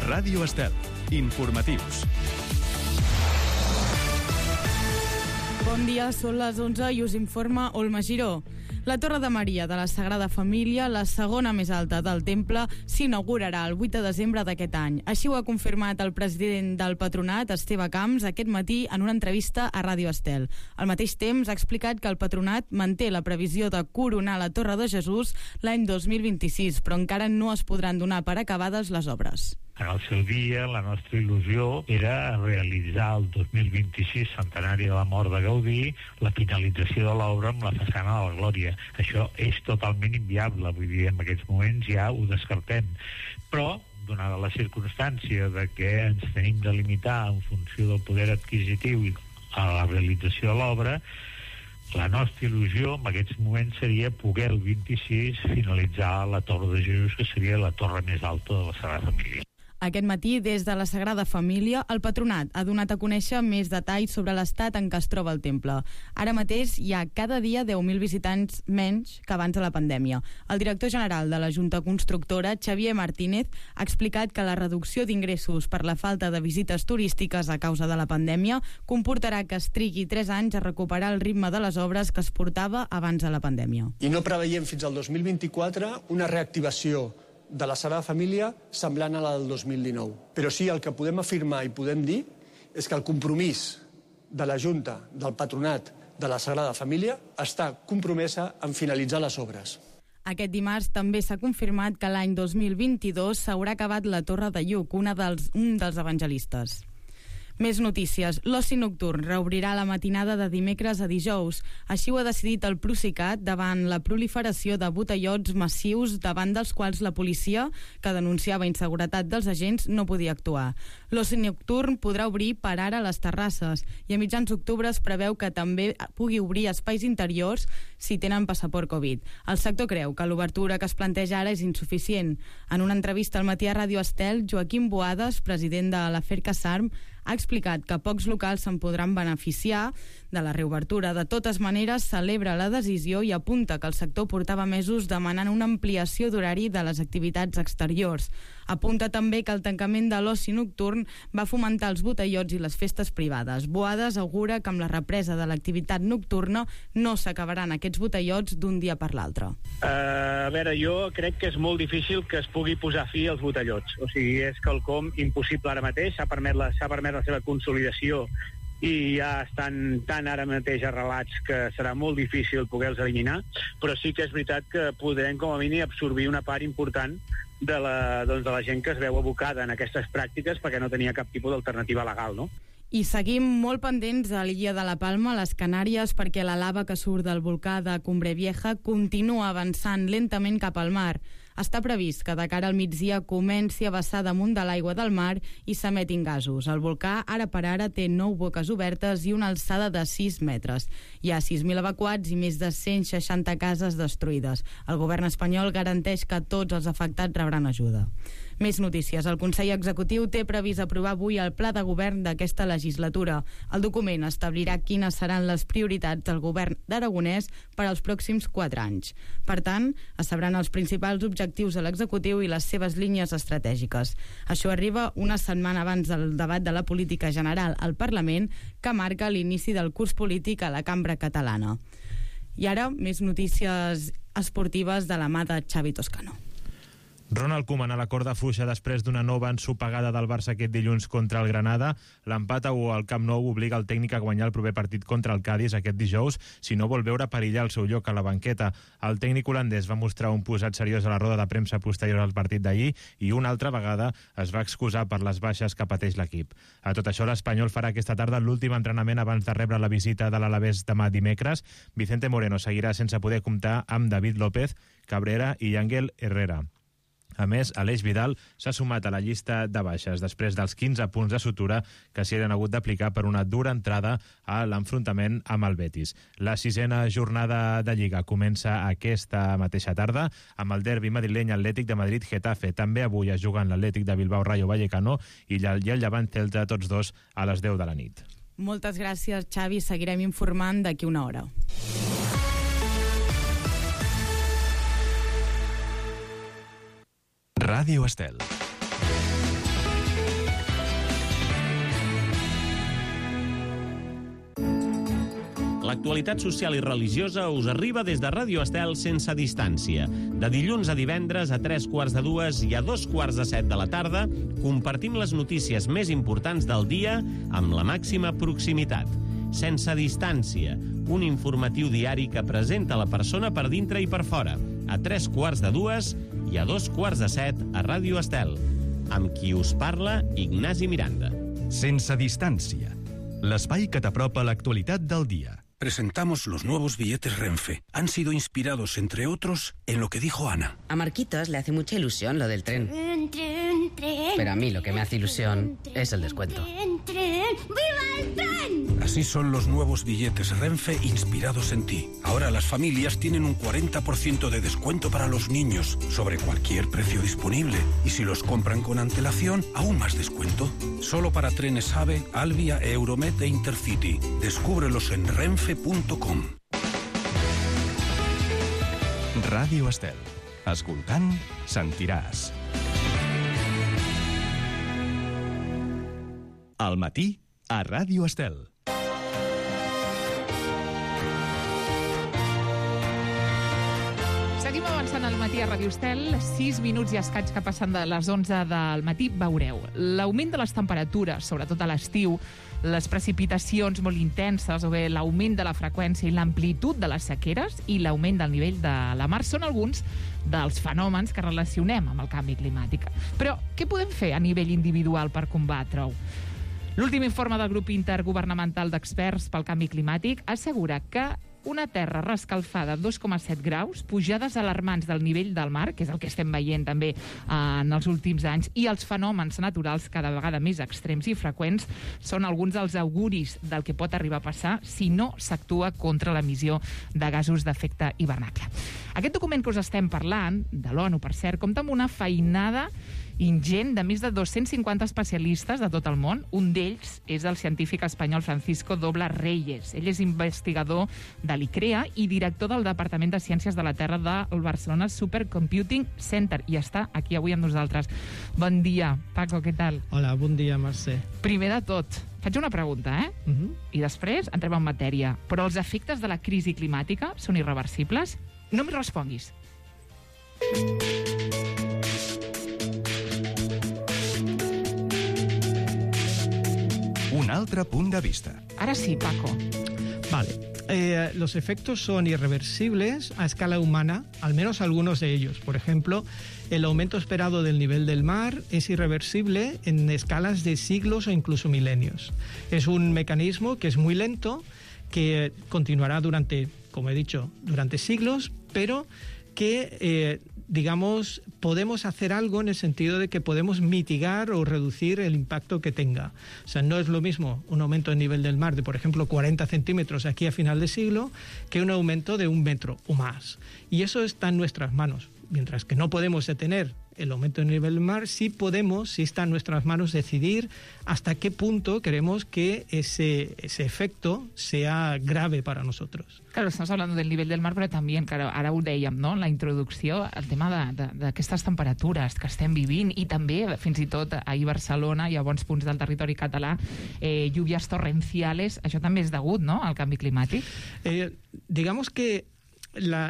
Ràdio Estel. Informatius. Bon dia, són les 11 i us informa Olma Giró. La Torre de Maria de la Sagrada Família, la segona més alta del temple, s'inaugurarà el 8 de desembre d'aquest any. Així ho ha confirmat el president del Patronat, Esteve Camps, aquest matí en una entrevista a Ràdio Estel. Al mateix temps ha explicat que el Patronat manté la previsió de coronar la Torre de Jesús l'any 2026, però encara no es podran donar per acabades les obres. En el seu dia, la nostra il·lusió era realitzar el 2026, centenari de la mort de Gaudí, la finalització de l'obra amb la façana de la Glòria. Això és totalment inviable, vull dir, en aquests moments ja ho descartem. Però, donada la circumstància de que ens tenim de limitar en funció del poder adquisitiu a la realització de l'obra, la nostra il·lusió en aquests moments seria poder el 26 finalitzar la Torre de Jesús, que seria la torre més alta de la Sagrada Família. Aquest matí, des de la Sagrada Família, el Patronat ha donat a conèixer més detalls sobre l'estat en què es troba el temple. Ara mateix hi ha cada dia 10.000 visitants menys que abans de la pandèmia. El director general de la Junta Constructora, Xavier Martínez, ha explicat que la reducció d'ingressos per la falta de visites turístiques a causa de la pandèmia comportarà que es trigui 3 anys a recuperar el ritme de les obres que es portava abans de la pandèmia. I no preveiem fins al 2024 una reactivació de la Sagrada Família semblant a la del 2019. Però sí, el que podem afirmar i podem dir és que el compromís de la Junta, del Patronat de la Sagrada Família, està compromesa en finalitzar les obres. Aquest dimarts també s'ha confirmat que l'any 2022 s'haurà acabat la Torre de Lluc, un dels evangelistes. Més notícies. L'oci nocturn reobrirà la matinada de dimecres a dijous. Així ho ha decidit el Procicat davant la proliferació de botellots massius davant dels quals la policia, que denunciava inseguretat dels agents, no podia actuar. L'oci nocturn podrà obrir per ara a les terrasses i a mitjans d'octubre es preveu que també pugui obrir espais interiors si tenen passaport Covid. El sector creu que l'obertura que es planteja ara és insuficient. En una entrevista al matí a Ràdio Estel, Joaquim Boades, president de l'Afer Casarm, ha explicat que pocs locals se'n podran beneficiar de la reobertura. De totes maneres, celebra la decisió i apunta que el sector portava mesos demanant una ampliació d'horari de les activitats exteriors. Apunta també que el tancament de l'oci nocturn va fomentar els botellots i les festes privades. Boades augura que amb la represa de l'activitat nocturna no s'acabaran aquests botellots d'un dia per l'altre. A veure, jo crec que és molt difícil que es pugui posar fi als botellots. O sigui, és quelcom impossible ara mateix. S'ha permès la seva consolidació i ja estan tan ara mateix arrelats que serà molt difícil poder-los eliminar, però sí que és veritat que podrem com a mínim absorbir una part important de la gent que es veu abocada en aquestes pràctiques perquè no tenia cap tipus d'alternativa legal, no? I seguim molt pendents a l'illa de la Palma, a les Canàries, perquè la lava que surt del volcà de Cumbre Vieja continua avançant lentament cap al mar. Està previst que de cara al migdia comenci a vessar damunt de l'aigua del mar i s'emetin gasos. El volcà, ara per ara, té 9 boques obertes i una alçada de 6 metres. Hi ha 6.000 evacuats i més de 160 cases destruïdes. El govern espanyol garanteix que tots els afectats rebran ajuda. Més notícies. El Consell Executiu té previst aprovar avui el pla de govern d'aquesta legislatura. El document establirà quines seran les prioritats del govern d'Aragonès per als pròxims 4 anys. Per tant, es sabran els principals objectius de l'executiu i les seves línies estratègiques. Això arriba una setmana abans del debat de la política general al Parlament, que marca l'inici del curs polític a la cambra catalana. I ara, més notícies esportives de la mà de Xavi Toscano. Ronald Koeman a la corda fluixa després d'una nova ensopegada del Barça aquest dilluns contra el Granada. L'empat al Camp Nou obliga el tècnic a guanyar el proper partit contra el Cádiz aquest dijous, si no vol veure perillar el seu lloc a la banqueta. El tècnic holandès va mostrar un posat seriós a la roda de premsa posterior al partit d'ahir i una altra vegada es va excusar per les baixes que pateix l'equip. A tot això, l'Espanyol farà aquesta tarda l'últim entrenament abans de rebre la visita de l'Alavés demà dimecres. Vicente Moreno seguirà sense poder comptar amb David López, Cabrera i Ángel Herrera. A més, Aleix Vidal s'ha sumat a la llista de baixes després dels 15 punts de sutura que s'hi han hagut d'aplicar per una dura entrada a l'enfrontament amb el Betis. La 6a jornada de Lliga comença aquesta mateixa tarda amb el derbi madrileny Atlètic de Madrid-Getafe. També avui es juguen l'Atlètic de Bilbao-Rayo Vallecano i el Llevant-Celta, tots dos a les 10 de la nit. Moltes gràcies, Xavi. Seguirem informant d'aquí una hora. Ràdio Estel. L'actualitat social i religiosa us arriba des de Ràdio Estel sense distància. De dilluns a divendres a 3:45 i a 2:45 de la tarda compartim les notícies més importants del dia amb la màxima proximitat. Sense distància, un informatiu diari que presenta la persona per dintre i per fora, a 3:45 i a 2:45 a Ràdio Estel. Amb qui us parla, Ignasi Miranda. Sense distància, l'espai que t'apropa a l'actualitat del dia. Presentamos los nuevos billetes Renfe. Han sido inspirados, entre otros, en lo que dijo Ana. A Marquitos le hace mucha ilusión lo del tren. Tren. Pero a mí lo que me hace ilusión es el descuento. ¡Viva el tren! Así son los nuevos billetes Renfe inspirados en ti. Ahora las familias tienen un 40% de descuento para los niños sobre cualquier precio disponible. Y si los compran con antelación, aún más descuento. Solo para trenes AVE, Alvia, Euromed e Intercity. Descúbrelos en renfe.com. Ràdio Estel. Escoltant, sentiràs. Al matí, a Ràdio Estel. Seguim avançant al matí a Ràdio Estel. 6 minuts i escaig que passen de les 11 del matí. Veureu, l'augment de les temperatures, sobretot a l'estiu, les precipitacions molt intenses o bé l'augment de la freqüència i l'amplitud de les sequeres i l'augment del nivell de la mar són alguns dels fenòmens que relacionem amb el canvi climàtic. Però què podem fer a nivell individual per combatre-ho? L'últim informe del grup intergovernamental d'experts pel canvi climàtic assegura que una terra reescalfada a 2,7 graus, pujades alarmants del nivell del mar, que és el que estem veient també en els últims anys, i els fenòmens naturals cada vegada més extrems i freqüents són alguns dels auguris del que pot arribar a passar si no s'actua contra l'emissió de gasos d'efecte hivernacle. Aquest document que us estem parlant, de l'ONU, per cert, compta amb una feinada ingent de més de 250 especialistes de tot el món. Un d'ells és el científic espanyol Francisco Doble Reyes. Ell és investigador de l'ICREA i director del Departament de Ciències de la Terra del Barcelona Supercomputing Center i està aquí avui amb nosaltres. Bon dia, Paco, què tal? Hola, bon dia, Mercè. Primer de tot, faig una pregunta, I després entrem en matèria. Però els efectes de la crisi climàtica són irreversibles? No m'hi responguis. Un altre punt de vista. Ahora sí, Paco. Vale. Los efectos son irreversibles a escala humana, al menos algunos de ellos. Por ejemplo, el aumento esperado del nivel del mar es irreversible en escalas de siglos o incluso milenios. Es un mecanismo que es muy lento, que continuará durante, como he dicho, durante siglos, pero que digamos, podemos hacer algo en el sentido de que podemos mitigar o reducir el impacto que tenga. O sea, no es lo mismo un aumento del nivel del mar de, por ejemplo, 40 centímetros aquí a final de siglo que un aumento de 1 metro o más. Y eso está en nuestras manos. Mientras que no podemos detener el aumento del nivel del mar, sí podemos, sí está en nuestras manos decidir hasta qué punto queremos que ese efecto sea grave para nosotros. Claro, estamos hablando del nivel del mar, però també, claro, ara ho dèiem, no?, en la introducció, el tema d'aquestes temperatures que estem vivint i també, fins i tot, ahir a Barcelona i a bons punts del territori català, lluvias torrenciales, això també és degut, no?, al canvi climàtic? Digamos que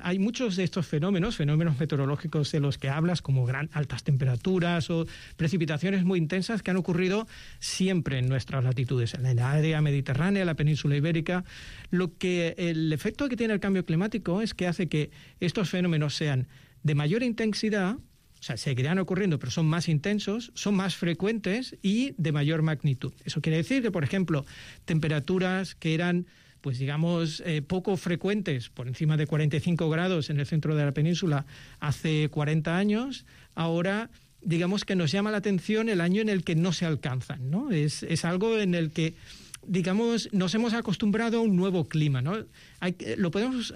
hay muchos de estos fenómenos meteorológicos de los que hablas, como altas temperaturas o precipitaciones muy intensas que han ocurrido siempre en nuestras latitudes, en la área mediterránea, la península ibérica. El efecto que tiene el cambio climático es que hace que estos fenómenos sean de mayor intensidad, o sea, seguirán ocurriendo, pero son más intensos, son más frecuentes y de mayor magnitud. Eso quiere decir que, por ejemplo, temperaturas que eran, pues digamos, poco frecuentes, por encima de 45 grados en el centro de la península hace 40 años, ahora digamos que nos llama la atención el año en el que no se alcanzan, ¿no? Es algo en el que, digamos, nos hemos acostumbrado a un nuevo clima, ¿no? Lo podemos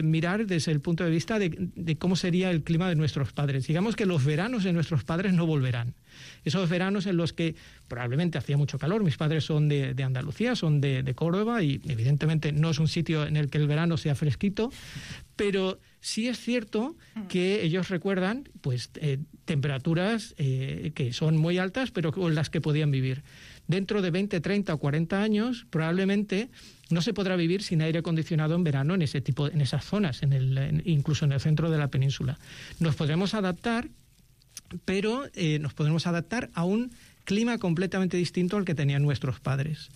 mirar desde el punto de vista de cómo sería el clima de nuestros padres. Digamos que los veranos de nuestros padres no volverán. Esos veranos en los que probablemente hacía mucho calor. Mis padres son de Andalucía, son de Córdoba, y evidentemente no es un sitio en el que el verano sea fresquito, pero sí es cierto que ellos recuerdan pues temperaturas que son muy altas, pero con las que podían vivir. Dentro de 20, 30 o 40 años, probablemente no se podrá vivir sin aire acondicionado en verano en esas zonas, incluso en el centro de la península. Nos podremos adaptar, pero nos podremos adaptar a un clima completamente distinto al que tenían nuestros padres.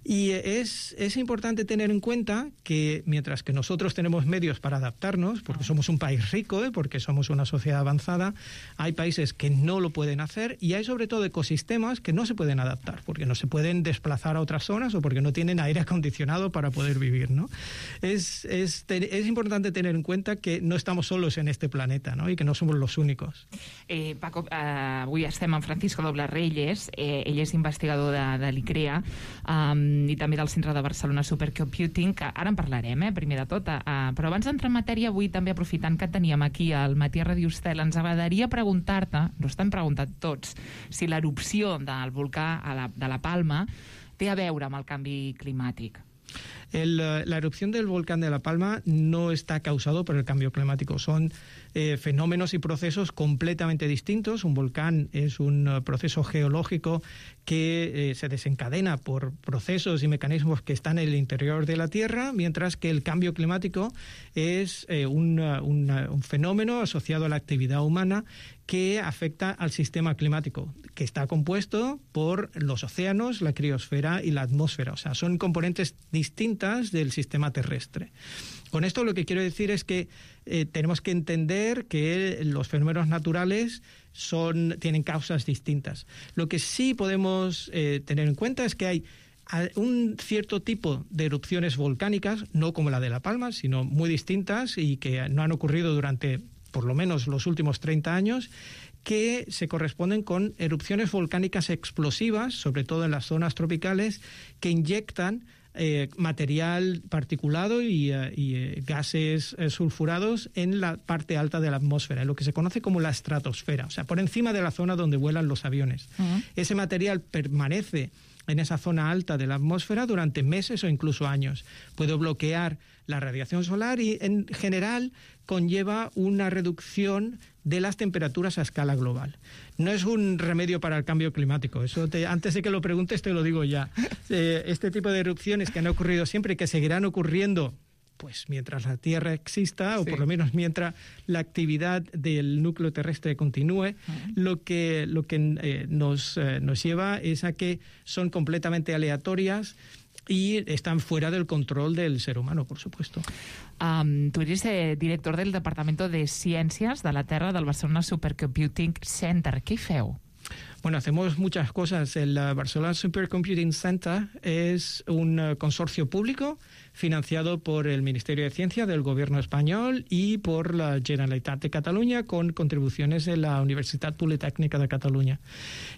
Y es importante tener en cuenta que mientras que nosotros tenemos medios para adaptarnos, porque somos un país rico, porque somos una sociedad avanzada, hay países que no lo pueden hacer y hay sobre todo ecosistemas que no se pueden adaptar, porque no se pueden desplazar a otras zonas o porque no tienen aire acondicionado para poder vivir, ¿no? Es importante tener en cuenta que no estamos solos en este planeta, ¿no? Y que no somos los únicos. Paco, avui estem amb Francisco Doble Reyes, ell és investigador de l'ICREA, i també del Centre de Barcelona Supercomputing, que ara en parlarem, primer de tot. Però abans d'entrar en matèria, avui també aprofitant que teníem aquí al Matí a Ràdio Estel, ens agradaria preguntar-te, no estem preguntant tots, si l'erupció del volcà de la Palma té a veure amb el canvi climàtic. La erupción del volcán de La Palma no está causado por el cambio climático. Son fenómenos y procesos completamente distintos. Un volcán es un proceso geológico que se desencadena por procesos y mecanismos que están en el interior de la Tierra, mientras que el cambio climático es un fenómeno asociado a la actividad humana que afecta al sistema climático, que está compuesto por los océanos, la criosfera y la atmósfera. O sea, son componentes distintas del sistema terrestre. Con esto lo que quiero decir es que tenemos que entender que los fenómenos naturales tienen causas distintas. Lo que sí podemos tener en cuenta es que hay un cierto tipo de erupciones volcánicas, no como la de La Palma, sino muy distintas y que no han ocurrido durante por lo menos los últimos 30 años, que se corresponden con erupciones volcánicas explosivas, sobre todo en las zonas tropicales, que inyectan material particulado y gases sulfurados en la parte alta de la atmósfera, en lo que se conoce como la estratosfera, o sea, por encima de la zona donde vuelan los aviones. Ese material permanece en esa zona alta de la atmósfera durante meses o incluso años. Puede bloquear la radiación solar y, en general, conlleva una reducción de las temperaturas a escala global. No es un remedio para el cambio climático, eso antes de que lo preguntes te lo digo ya. Este tipo de erupciones que han ocurrido siempre y que seguirán ocurriendo pues mientras la Tierra exista, o por lo menos mientras la actividad del núcleo terrestre continúe, lo que nos lleva es a que son completamente aleatorias y están fuera del control del ser humano, por supuesto. Tu eres director del Departamento de Ciències de la Terra del Barcelona Supercomputing Center. ¿Qué hi feu? Bueno, hacemos muchas cosas. El Barcelona Supercomputing Center es un consorcio público financiado por el Ministerio de Ciencia del Gobierno español y por la Generalitat de Cataluña, con contribuciones de la Universitat Politécnica de Cataluña.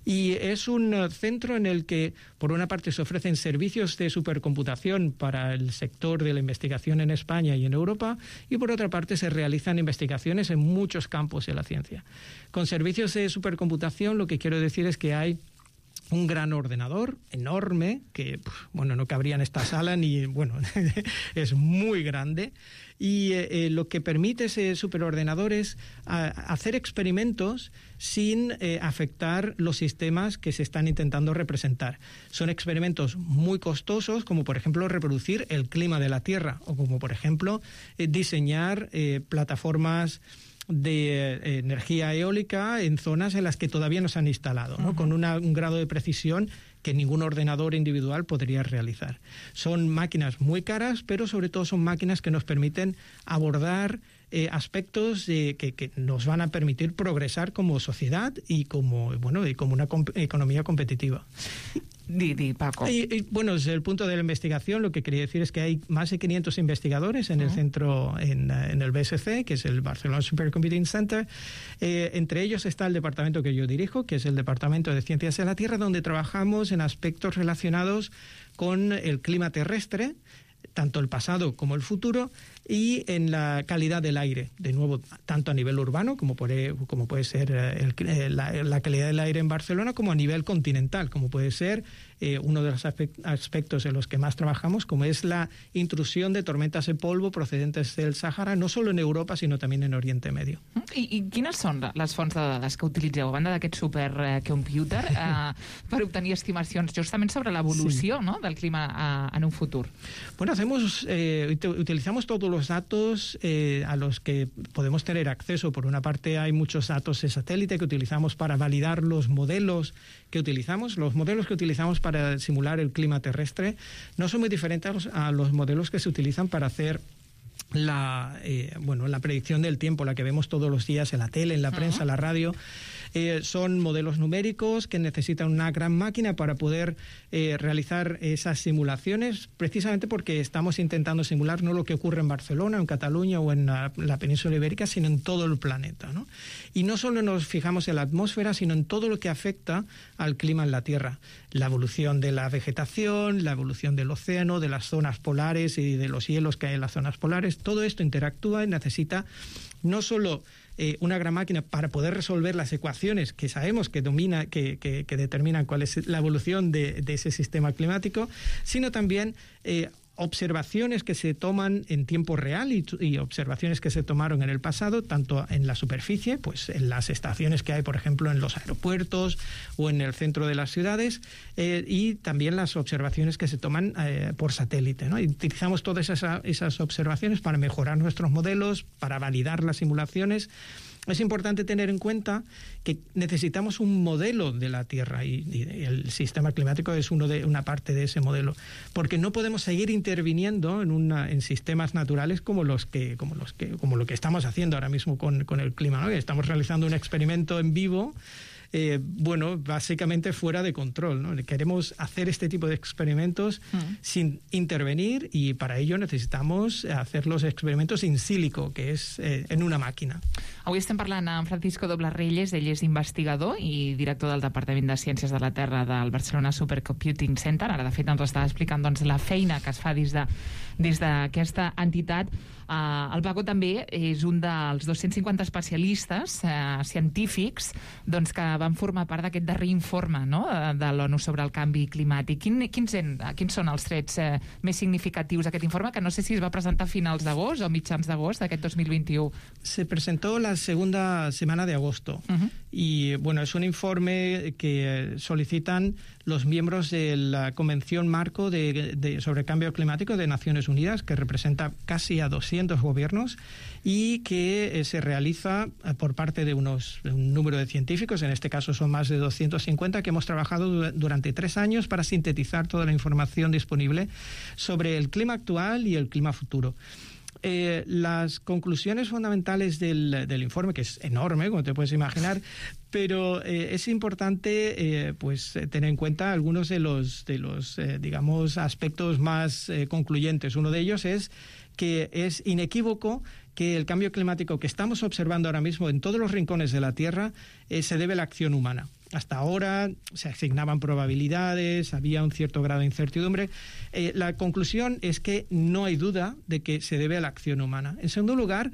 Y es un centro en el que, por una parte, se ofrecen servicios de supercomputación para el sector de la investigación en España y en Europa, y por otra parte se realizan investigaciones en muchos campos de la ciencia. Con servicios de supercomputación, lo que quiero decir es que hay un gran ordenador enorme que, bueno, no cabría en esta sala ni, bueno, es muy grande, y lo que permite ese superordenador es hacer experimentos sin afectar los sistemas que se están intentando representar. Son experimentos muy costosos, como por ejemplo reproducir el clima de la Tierra, o como por ejemplo diseñar plataformas de energía eólica en zonas en las que todavía no se han instalado, ¿no? Con un grado de precisión que ningún ordenador individual podría realizar. Son máquinas muy caras, pero sobre todo son máquinas que nos permiten abordar aspectos que nos van a permitir progresar como sociedad y como una economía competitiva. Paco. Bueno, desde el punto de la investigación, lo que quería decir es que hay más de 500 investigadores en el centro, en el BSC, que es el Barcelona Supercomputing Center. Entre ellos está el departamento que yo dirijo, que es el Departamento de Ciencias de la Tierra, donde trabajamos en aspectos relacionados con el clima terrestre, tanto el pasado como el futuro, y en la calidad del aire, de nuevo, tanto a nivel urbano, como puede ser la calidad del aire en Barcelona, como a nivel continental, como puede ser uno de los aspectos en los que más trabajamos, como es la intrusión de tormentas de polvo procedentes del Sàhara, no solo en Europa, sinó també en Oriente Medio. I quines són les fonts de dades que utilitzeu, a banda d'aquest supercomputer, per obtenir estimacions justament sobre l'evolució, ¿no?, del clima en un futur? Bueno, utilizamos todos los datos a los que podemos tener acceso. Por una parte, hay muchos datos de satélite que utilizamos para validar los modelos que utilizamos. Los modelos que utilizamos para simular el clima terrestre no son muy diferentes a los modelos que se utilizan para hacer la predicción del tiempo, la que vemos todos los días en la tele, en la prensa, en la radio. Son modelos numéricos que necesitan una gran máquina para poder realizar esas simulaciones, precisamente porque estamos intentando simular no lo que ocurre en Barcelona, en Cataluña o en la península ibérica, sino en todo el planeta, ¿no? Y no solo nos fijamos en la atmósfera, sino en todo lo que afecta al clima en la Tierra. La evolución de la vegetación, la evolución del océano, de las zonas polares y de los hielos que hay en las zonas polares. Todo esto interactúa y necesita no solo una gran máquina para poder resolver las ecuaciones que sabemos que determinan cuál es la evolución de ese sistema climático, sino también observaciones que se toman en tiempo real y observaciones que se tomaron en el pasado, tanto en la superficie, pues en las estaciones que hay, por ejemplo, en los aeropuertos o en el centro de las ciudades, y también las observaciones que se toman por satélite, ¿no? Y utilizamos todas esas observaciones para mejorar nuestros modelos, para validar las simulaciones. Es importante tener en cuenta que necesitamos un modelo de la Tierra y el sistema climático es una parte de ese modelo, porque no podemos seguir interviniendo en sistemas naturales como lo que estamos haciendo ahora mismo con el clima, ¿no? Estamos realizando un experimento en vivo, básicamente fuera de control, ¿no? Queremos hacer este tipo de experimentos sin intervenir, y para ello necesitamos hacer los experimentos in silico, que és en una màquina. Avui estem parlant amb Francisco Dobles-Reyes. Ell és investigador i director del Departament de Ciències de la Terra del Barcelona Supercomputing Center. Ara, de fet, ens estava explicant la feina que es fa des d'aquesta entitat. El Paco també és un dels 250 especialistes científics que van formar part d'aquest darrer informe, no?, de l'ONU sobre el canvi climàtic. Quins són els trets més significatius d'aquest informe, que no sé si es va presentar a finals d'agost o mitjans d'agost d'aquest 2021? Se presentó la segunda semana de agosto. Y es un informe que solicitan los miembros de la Convención Marco sobre Cambio Climático de Naciones Unidas, que representa casi a 200 gobiernos y que se realiza por parte de un número de científicos, en este caso son más de 250, que hemos trabajado durante 3 años para sintetizar toda la información disponible sobre el clima actual y el clima futuro. Las conclusiones fundamentales del informe, que es enorme, como te puedes imaginar, pero es importante tener en cuenta algunos de los digamos, aspectos más concluyentes. Uno de ellos es que es inequívoco que el cambio climático que estamos observando ahora mismo en todos los rincones de la Tierra se debe a la acción humana. Hasta ahora se asignaban probabilidades, había un cierto grado de incertidumbre. La conclusión es que no hay duda de que se debe a la acción humana. En segundo lugar,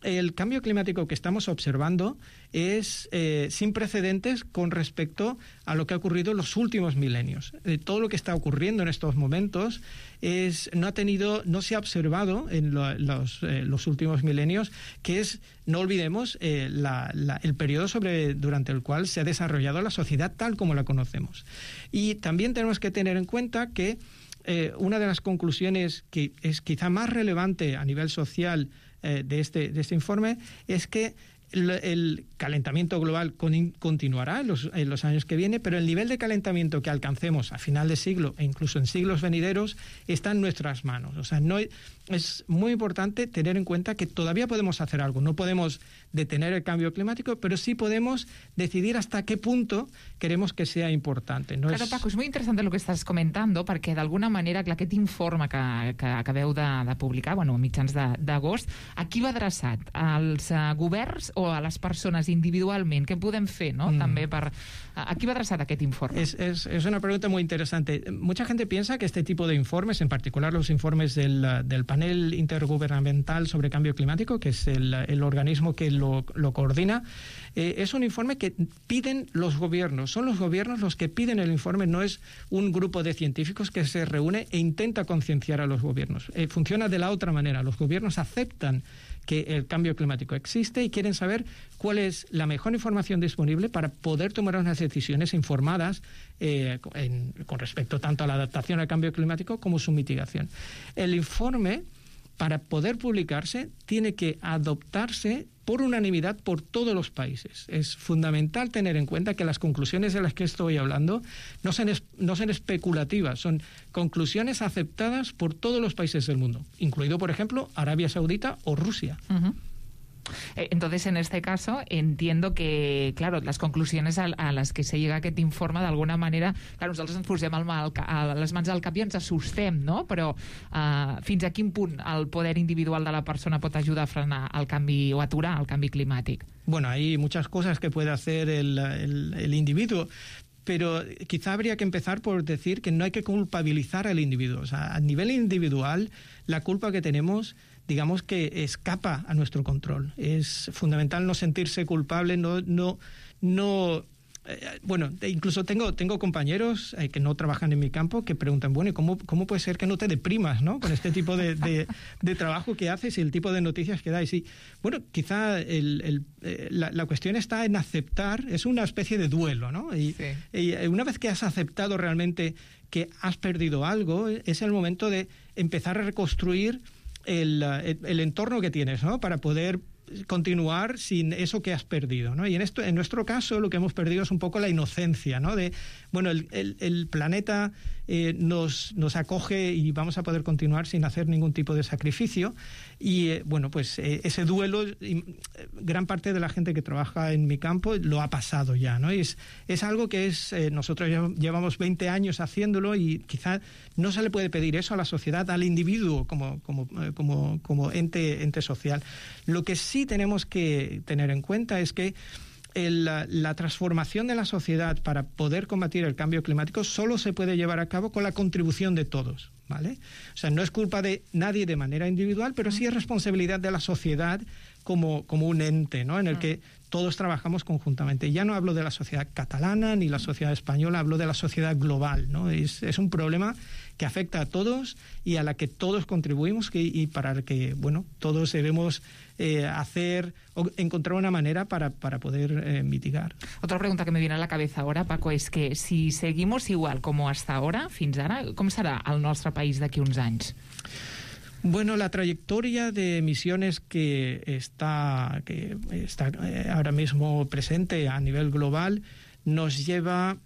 el cambio climático que estamos observando es sin precedentes con respecto a lo que ha ocurrido en los últimos milenios. Todo lo que está ocurriendo en estos momentos no se ha observado en los últimos milenios, que es, no olvidemos, el periodo durante el cual se ha desarrollado la sociedad tal como la conocemos. Y también tenemos que tener en cuenta que una de las conclusiones que es quizá más relevante a nivel social de este informe es que el calentamiento global continuará en los años que vienen, pero el nivel de calentamiento que alcancemos a final de siglo e incluso en siglos venideros está en nuestras manos. O sea, es muy importante tener en cuenta que todavía podemos hacer algo. No podemos detener el cambio climático, pero sí podemos decidir hasta qué punto queremos que sea importante. Claro, Paco, és molt interessant el que estàs comentant, perquè d'alguna manera aquest informe que acabeu de publicar, a mitjans d'agost, a qui va adreçat? Als governs o o a les persones individualment? Què podem fer, no? També per... ¿A qui va adreçat aquest informe? Es una pregunta muy interesante. Mucha gente piensa que este tipo de informes, en particular los informes del panel intergubernamental sobre cambio climático, que es el organismo que lo coordina, es un informe que piden los gobiernos. Son los gobiernos los que piden el informe, no es un grupo de científicos que se reúne e intenta concienciar a los gobiernos. Funciona de la otra manera. Los gobiernos aceptan que el cambio climático existe y quieren saber cuál es la mejor información disponible para poder tomar unas decisiones informadas con respecto tanto a la adaptación al cambio climático como su mitigación. El informe, para poder publicarse, tiene que adoptarse por unanimidad por todos los países. Es fundamental tener en cuenta que las conclusiones de las que estoy hablando no son especulativas, son conclusiones aceptadas por todos los países del mundo, incluido, por ejemplo, Arabia Saudita o Rusia. Entonces, en este caso, entiendo que, claro, las conclusiones a las que se llega a aquest informe, d'alguna manera, clar, nosaltres ens posem les mans al cap i ens assustem, no? Però fins a quin punt el poder individual de la persona pot ajudar a frenar el canvi o aturar el canvi climàtic? Bueno, hay muchas cosas que puede hacer el individuo, pero quizá habría que empezar por decir que no hay que culpabilizar al individuo. O sea, a nivel individual, la culpa que tenemos, digamos que escapa a nuestro control. Es fundamental no sentirse culpable, bueno, incluso tengo compañeros que no trabajan en mi campo que preguntan, bueno, ¿cómo puede ser que no te deprimas, ¿no? Con este tipo de trabajo que haces y el tipo de noticias que dais? Y bueno, quizá la cuestión está en aceptar, es una especie de duelo, ¿no? Y una vez que has aceptado realmente que has perdido algo, es el momento de empezar a reconstruir el entorno que tienes, ¿no? Para poder continuar sin eso que has perdido, ¿no? Y en nuestro caso lo que hemos perdido es un poco la inocencia, ¿no? De, bueno, el planeta nos acoge y vamos a poder continuar sin hacer ningún tipo de sacrificio y, bueno, pues ese duelo, gran parte de la gente que trabaja en mi campo lo ha pasado ya, ¿no? Y es algo que nosotros llevamos 20 años haciéndolo y quizá no se le puede pedir eso a la sociedad, al individuo como ente social. Lo que sí tenemos que tener en cuenta es que la transformación de la sociedad para poder combatir el cambio climático solo se puede llevar a cabo con la contribución de todos, ¿vale? O sea, no es culpa de nadie de manera individual, pero sí es responsabilidad de la sociedad como un ente, ¿no? En el que todos trabajamos conjuntamente. Ya no hablo de la sociedad catalana ni la sociedad española, hablo de la sociedad global, ¿no? Es un problema que afecta a todos y a la que todos contribuimos y para el que, bueno, todos debemos hacer o encontrar una manera para poder mitigar. Otra pregunta que me viene a la cabeza ahora, Paco, es que si seguimos igual como hasta ahora, fins ara, com serà el nostre país d'aquí uns anys? Bueno, la trayectoria de emisiones que está ahora mismo presente a nivel global nos lleva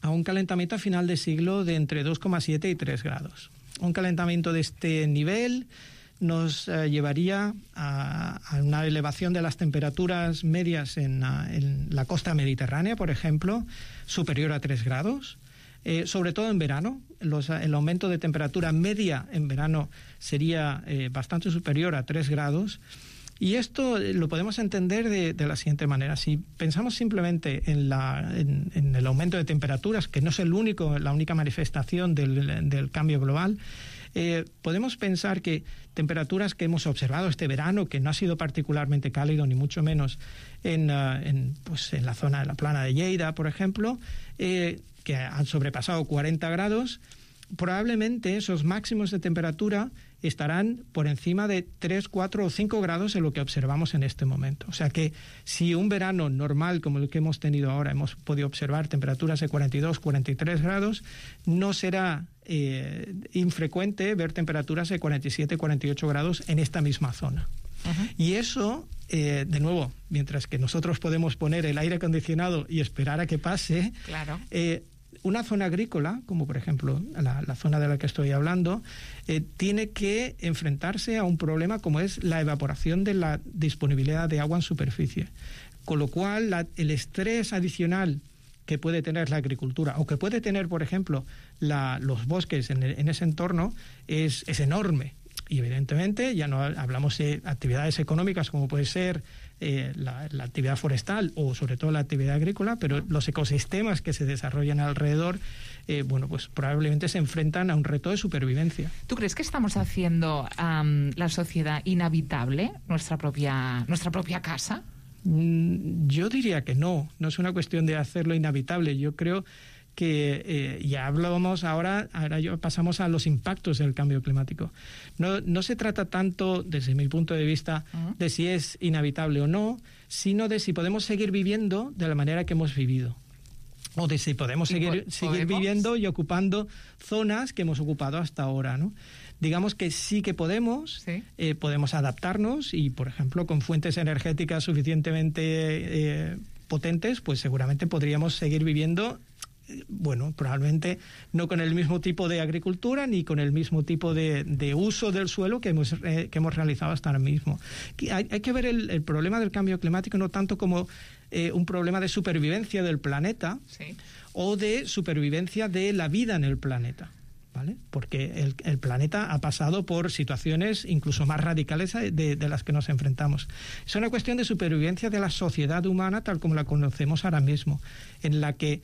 a un calentamiento a final de siglo de entre 2,7 y 3 grados. Un calentamiento de este nivel nos llevaría a una elevación de las temperaturas medias en la costa mediterránea, por ejemplo, superior a 3 grados. Sobre todo en verano, el aumento de temperatura media en verano sería bastante superior a 3 grados. Y esto lo podemos entender de la siguiente manera. Si pensamos simplemente en el aumento de temperaturas, que no es la única manifestación del cambio global, podemos pensar que temperaturas que hemos observado este verano, que no ha sido particularmente cálido, ni mucho menos en la zona de la plana de Lleida, por ejemplo, que han sobrepasado 40 grados, probablemente esos máximos de temperatura estarán por encima de 3, 4 o 5 grados en lo que observamos en este momento. O sea que si un verano normal como el que hemos tenido ahora hemos podido observar temperaturas de 42, 43 grados, no será infrecuente ver temperaturas de 47, 48 grados en esta misma zona. Y eso, de nuevo, mientras que nosotros podemos poner el aire acondicionado y esperar a que pase, claro. Una zona agrícola, como por ejemplo la zona de la que estoy hablando, tiene que enfrentarse a un problema como es la evaporación de la disponibilidad de agua en superficie. Con lo cual, el estrés adicional que puede tener la agricultura o que puede tener, por ejemplo, los bosques en ese entorno es enorme. Y evidentemente ya no hablamos de actividades económicas como puede ser la actividad forestal o sobre todo la actividad agrícola, pero los ecosistemas que se desarrollan alrededor, pues probablemente se enfrentan a un reto de supervivencia. ¿Tú crees que estamos haciendo la sociedad inhabitable, nuestra propia casa? Yo diría que no es una cuestión de hacerlo inhabitable. Yo creo que ya hablábamos ahora pasamos a los impactos del cambio climático. No se trata tanto, desde mi punto de vista, de si es inhabitable o no, sino de si podemos seguir viviendo de la manera que hemos vivido. O de si podemos seguir viviendo y ocupando zonas que hemos ocupado hasta ahora, ¿no? Digamos que sí que podemos adaptarnos y, por ejemplo, con fuentes energéticas suficientemente potentes, pues seguramente podríamos seguir viviendo, probablemente no con el mismo tipo de agricultura ni con el mismo tipo de uso del suelo que hemos realizado hasta ahora mismo. Hay que ver el problema del cambio climático no tanto como un problema de supervivencia del planeta o de supervivencia de la vida en el planeta, ¿vale? Porque el planeta ha pasado por situaciones incluso más radicales de las que nos enfrentamos. Es una cuestión de supervivencia de la sociedad humana tal como la conocemos ahora mismo, en la que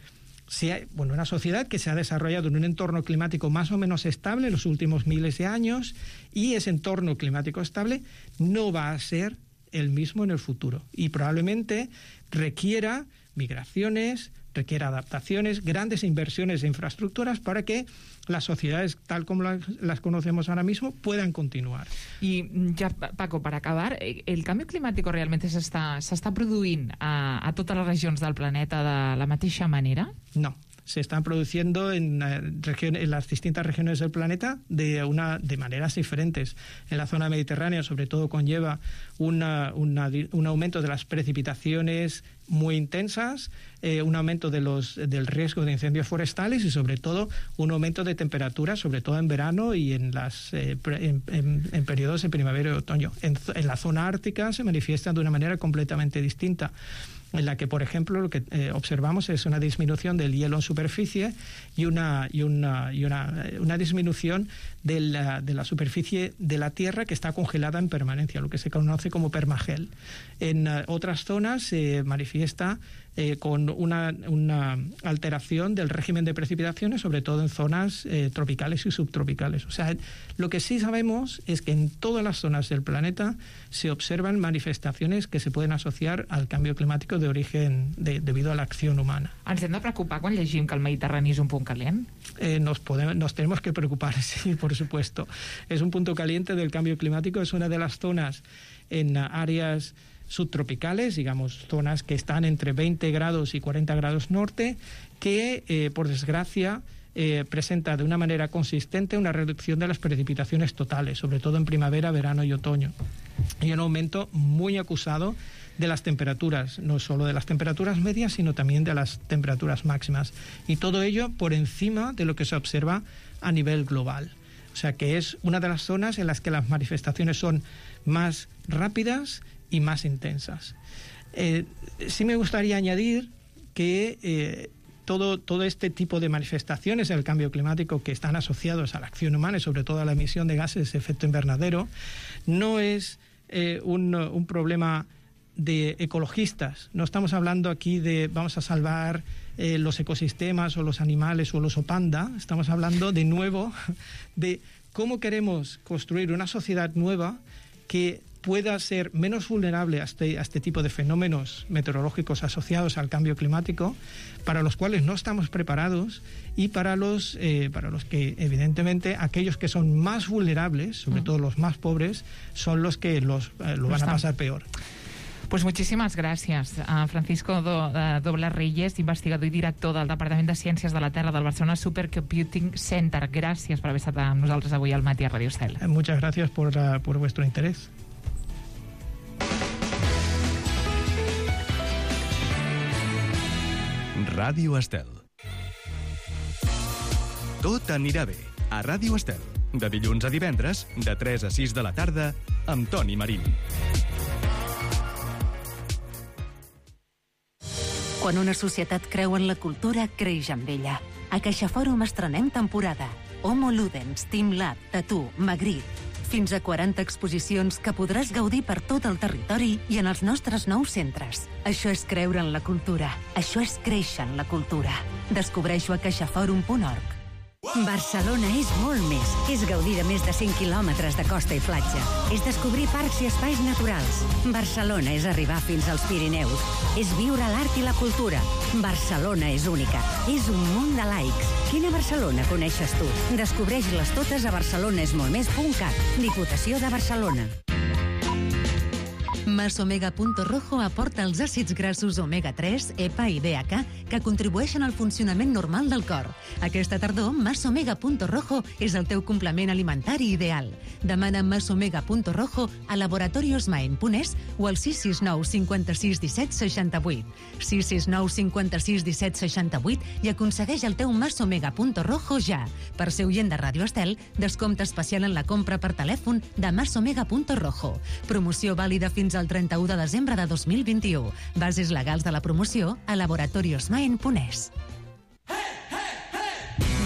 una sociedad que se ha desarrollado en un entorno climático más o menos estable en los últimos miles de años, y ese entorno climático estable no va a ser el mismo en el futuro y probablemente requiera migraciones, requiera adaptaciones, grandes inversiones de infraestructuras para que las sociedades tal como las conocemos ahora mismo puedan continuar. I ja, Paco, per acabar, el canvi climàtic realment s'està produint a totes les regions del planeta de la mateixa manera? No. Se están produciendo en las distintas regiones del planeta de maneras diferentes. En la zona mediterránea, sobre todo, conlleva un aumento de las precipitaciones muy intensas, un aumento del riesgo de incendios forestales y, sobre todo, un aumento de temperaturas, sobre todo en verano y en periodos de primavera y otoño. En la zona ártica se manifiesta de una manera completamente distinta, en la que, por ejemplo, lo que observamos es una disminución del hielo en superficie y una disminución de la superficie de la Tierra que está congelada en permanencia, lo que se conoce como permagel. En otras zonas se manifiesta con una alteración del régimen de precipitaciones, sobre todo en zonas tropicales y subtropicales. O sea, lo que sí sabemos es que en todas las zonas del planeta se observan manifestaciones que se pueden asociar al cambio climático de origen debido a la acción humana. Ens hem de preocupar quan llegim que el Mediterrani és un punt calent? Nos tenemos que preocupar, sí, por supuesto. Es un punto caliente del cambio climático, es una de las zonas en áreas subtropicales, digamos, zonas que están entre 20 grados y 40 grados norte, que, por desgracia, presenta de una manera consistente una reducción de las precipitaciones totales, sobre todo en primavera, verano y otoño, y un aumento muy acusado de las temperaturas, no solo de las temperaturas medias, sino también de las temperaturas máximas, y todo ello por encima de lo que se observa a nivel global. O sea que es una de las zonas en las que las manifestaciones son más rápidas y más intensas. Sí me gustaría añadir que todo este tipo de manifestaciones del cambio climático que están asociados a la acción humana y sobre todo a la emisión de gases de efecto invernadero no es un problema de ecologistas. No estamos hablando aquí de vamos a salvar los ecosistemas o los animales o el oso panda. Estamos hablando de nuevo de cómo queremos construir una sociedad nueva que pueda ser menos vulnerable a este tipo de fenómenos meteorológicos asociados al cambio climático, para los cuales no estamos preparados y para los que, evidentemente, aquellos que son más vulnerables, sobre todo los más pobres, son los que lo van a pasar peor. Pues muchísimas gràcies a Francisco Doble Reyes, investigador i director del Departament de Ciències de la Terra del Barcelona Supercomputing Center. Gràcies per haver estat amb nosaltres avui al Matí a Radio Estel. Muchas gracias por vuestro interés. Ràdio Estel. Tot anirà bé a Ràdio Estel. De dilluns a divendres, de 3 a 6 de la tarda, amb Toni Marín. Quan una societat creu en la cultura, creix amb ella. A CaixaFòrum estrenem temporada. Homo Ludens, Team Lab, Tatú, Magritte. Fins a 40 exposicions que podràs gaudir per tot el territori i en els nostres nous centres. Això és creure en la cultura. Això és créixer en la cultura. Descobreixo a caixaforum.org. Barcelona és molt més. És gaudir de més de 100 quilòmetres de costa i platja. És descobrir parcs i espais naturals. Barcelona és arribar fins als Pirineus. És viure l'art i la cultura. Barcelona és única. És un munt de laics. Quina Barcelona coneixes tu? Descobreix-les totes a barcelonesmoltmés.cat. Diputació de Barcelona. Masomega.rojo aporta els àcids grassos omega-3, EPA i DHA que contribueixen al funcionament normal del cor. Aquesta tardor, Masomega.rojo és el teu complement alimentari ideal. Demana Masomega.rojo a laboratoriosmaen.es o al 669 56 17 68. 669 56 17 68 i aconsegueix el teu Masomega.rojo ja. Per ser oient de Ràdio Estel, descompte especial en la compra per telèfon de Masomega.rojo. Promoció vàlida fins al 31 de desembre de 2021. Bases legals de la promoció a laboratoriosmaen.es.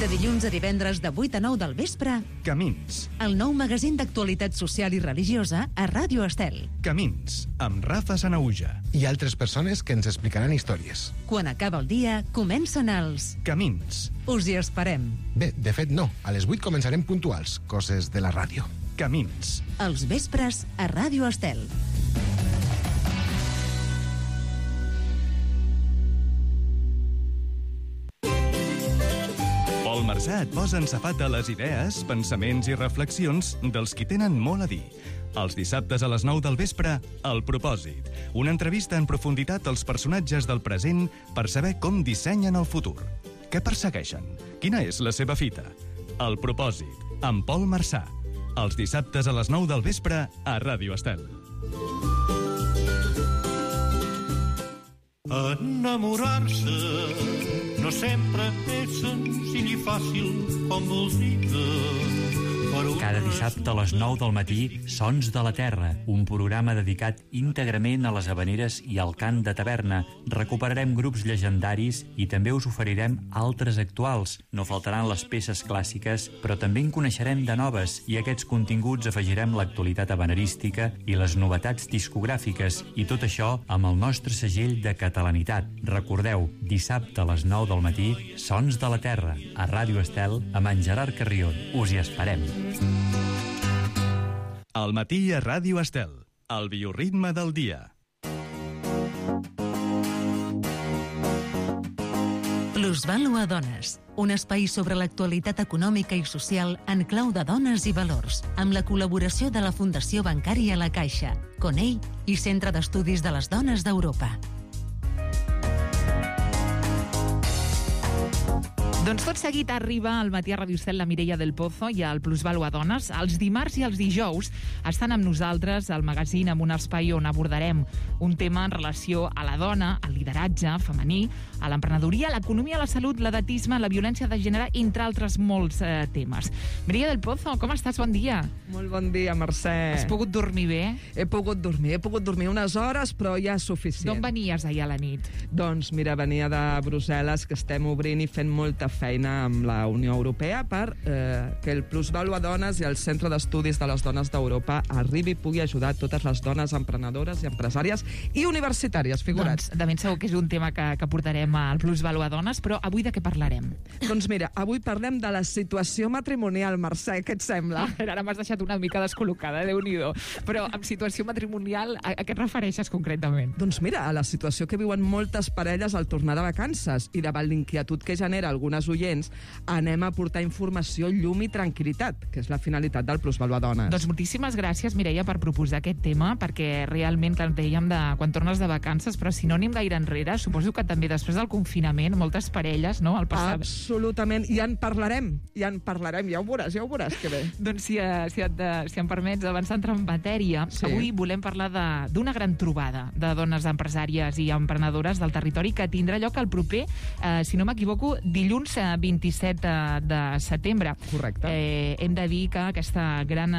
De dilluns a divendres de 8 a 9 del vespre, Camins. El nou magazín d'actualitat social i religiosa a Ràdio Estel. Camins, amb Rafa Sanauja. I altres persones que ens explicaran històries. Quan acaba el dia, comencen els Camins. Us hi esperem. Bé, de fet no. A les 8 començarem puntuals. Coses de la ràdio. Camins. Els vespres a Ràdio Estel. Pol Marsà et posa en safata les idees, pensaments i reflexions dels qui tenen molt a dir. Els dissabtes a les 9 del vespre, El Propòsit. Una entrevista en profunditat als personatges del present per saber com dissenyen el futur. Què persegueixen? Quina és la seva fita? El Propòsit, amb Pol Marsà. Els dissabtes a les 9 del vespre a Ràdio Estel. Enamorar-se no sempre és senzill i fàcil com voldria. Cada dissabte a les 9 del matí, Sons de la Terra, un programa dedicat íntegrament a les havaneres i al cant de taverna. Recuperarem grups llegendaris i també us oferirem altres actuals. No faltaran les peces clàssiques, però també en coneixerem de noves i a aquests continguts afegirem l'actualitat havanerística i les novetats discogràfiques i tot això amb el nostre segell de catalanitat. Recordeu, dissabte a les 9 del matí, Sons de la Terra, a Ràdio Estel, amb en Gerard Carrion. Us hi esperem. Al matí a Ràdio Estel, el bioritme del dia. Plusvàlua Dones, un espai sobre l'actualitat econòmica i social en clau de dones i valors, amb la col·laboració de la Fundació Bancària La Caixa, CONEI i Centre d'Estudis de les Dones d'Europa. Doncs tot seguit arriba al matí a Ràdio Estel la Mireia del Pozo i el Plusvàlua Dones. Els dimarts i els dijous estan amb nosaltres al magazín amb un espai on abordarem un tema en relació a la dona, al lideratge femení, a l'emprenedoria, l'economia, la salut, l'edatisme, la violència de gènere, entre altres molts temes. Mireia del Pozo, com estàs? Bon dia. Molt bon dia, Mercè. Has pogut dormir bé? He pogut dormir unes hores, però ja és suficient. D'on venies ahir a la nit? Doncs mira, venia de Brussel·les, que estem obrint i fent molta feina amb la Unió Europea per que el Plusvàlua Dones i el Centre d'Estudis de les Dones d'Europa arribi i pugui ajudar totes les dones emprenedores i empresàries i universitàries, figurats. Doncs de ben segur que és un tema que portarem al Plusvàlua Dones, però avui de què parlarem? Doncs mira, avui parlem de la situació matrimonial, Mercè, què et sembla? Ara m'has deixat una mica descol·locada, Déu-n'hi-do. Però amb situació matrimonial, a què et refereixes concretament? Doncs mira, a la situació que viuen moltes parelles al tornar de vacances i davant l'inquietud que genera algunes oients, anem a portar informació, llum i tranquil·litat, que és la finalitat del Plusvàlua Dones. Doncs moltíssimes gràcies, Mireia, per proposar aquest tema, perquè realment, que dèiem quan tornes de vacances, però si no anem gaire enrere, suposo que també després del confinament, moltes parelles, no?, al passat. Absolutament, i en parlarem, ja ho veuràs que bé. Doncs si em permets, abans d'entrar en matèria, sí. Avui volem parlar d'una gran trobada de dones empresàries i emprenedores del territori que tindrà lloc el proper, si no m'equivoco, dilluns 26-27 de setembre. Correcte. Hem de dir que aquesta gran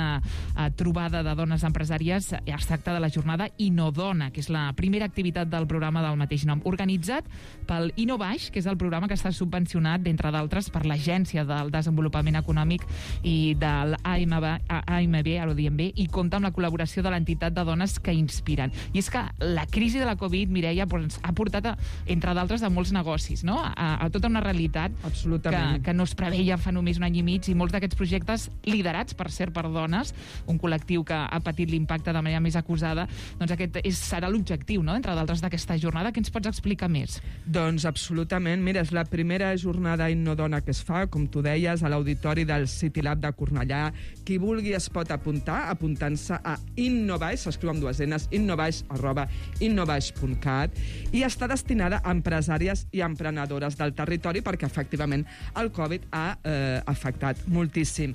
trobada de dones empresàries es tracta de la jornada Innodona, que és la primera activitat del programa del mateix nom, organitzat pel InnoBaix, que és el programa que està subvencionat, d'entre d'altres, per l'Agència del Desenvolupament Econòmic i de l'AMB, ara ho diem bé, i compta amb la col·laboració de l'entitat de dones que inspiren. I és que la crisi de la Covid, Mireia, ha portat, entre d'altres, a molts negocis, no? A tota una realitat que no es preveia fa només un any i mig, i molts d'aquests projectes, liderats, per cert, per dones, un col·lectiu que ha patit l'impacte de manera més acusada, doncs aquest serà l'objectiu, no?, entre d'altres, d'aquesta jornada. Què ens pots explicar més? Doncs absolutament. Mira, és la primera jornada Innodona que es fa, com tu deies, a l'auditori del City Lab de Cornellà. Qui vulgui es pot apuntar, apuntant-se a InnoBaix, s'escriu amb 2 N's, innobaix@innobaix.cat, i està destinada a empresàries i emprenedores del territori perquè, efectivament, el Covid ha afectat moltíssim.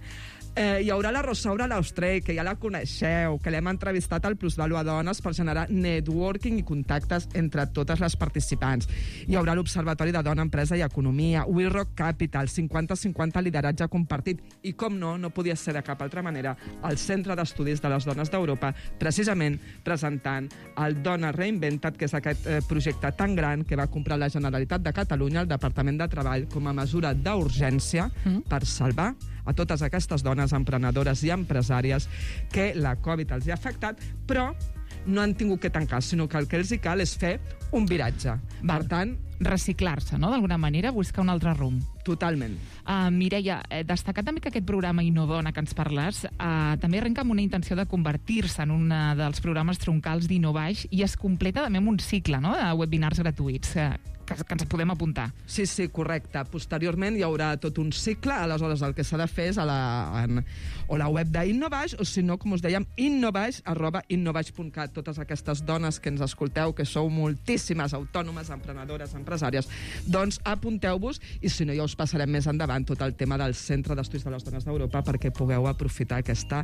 Hi haurà la Rosaura Laustrey, que ja la coneixeu, que l'hem entrevistat al Plusvalua Dones per generar networking i contactes entre totes les participants. Hi haurà l'Observatori de Dona, Empresa i Economia, We Rock Capital, 50-50 lideratge compartit, i, com no podia ser de cap altra manera, el Centre d'Estudis de les Dones d'Europa, precisament presentant el Dona Reinventat, que és aquest projecte tan gran que va comprar la Generalitat de Catalunya, el Departament de Treball, com a mesura d'urgència per salvar a totes aquestes dones emprenedores i empresàries que la Covid els ha afectat, però no han tingut que tancar, sinó que el que els hi cal és fer un viratge. Per tant, reciclar-se, no?, d'alguna manera, buscar un altre rumb. Totalment. Mireia, destacar també que aquest programa Innodona que ens parles també arrenca amb una intenció de convertir-se en un dels programes troncals d'InnoBaix i es completa també amb un cicle, no?, de webinars gratuïts que ens podem apuntar. Sí, correcte. Posteriorment hi haurà tot un cicle, aleshores el que s'ha de fer és o la web d'InnoBaix, o si no, com us dèiem, innobaix@innobaix.cat. Totes aquestes dones que ens escolteu, que sou moltíssimes autònomes, emprenedores, empresàries, doncs apunteu-vos, i si no ja us passarem més endavant tot el tema del Centre d'Estudis de les Dones d'Europa perquè pugueu aprofitar aquesta...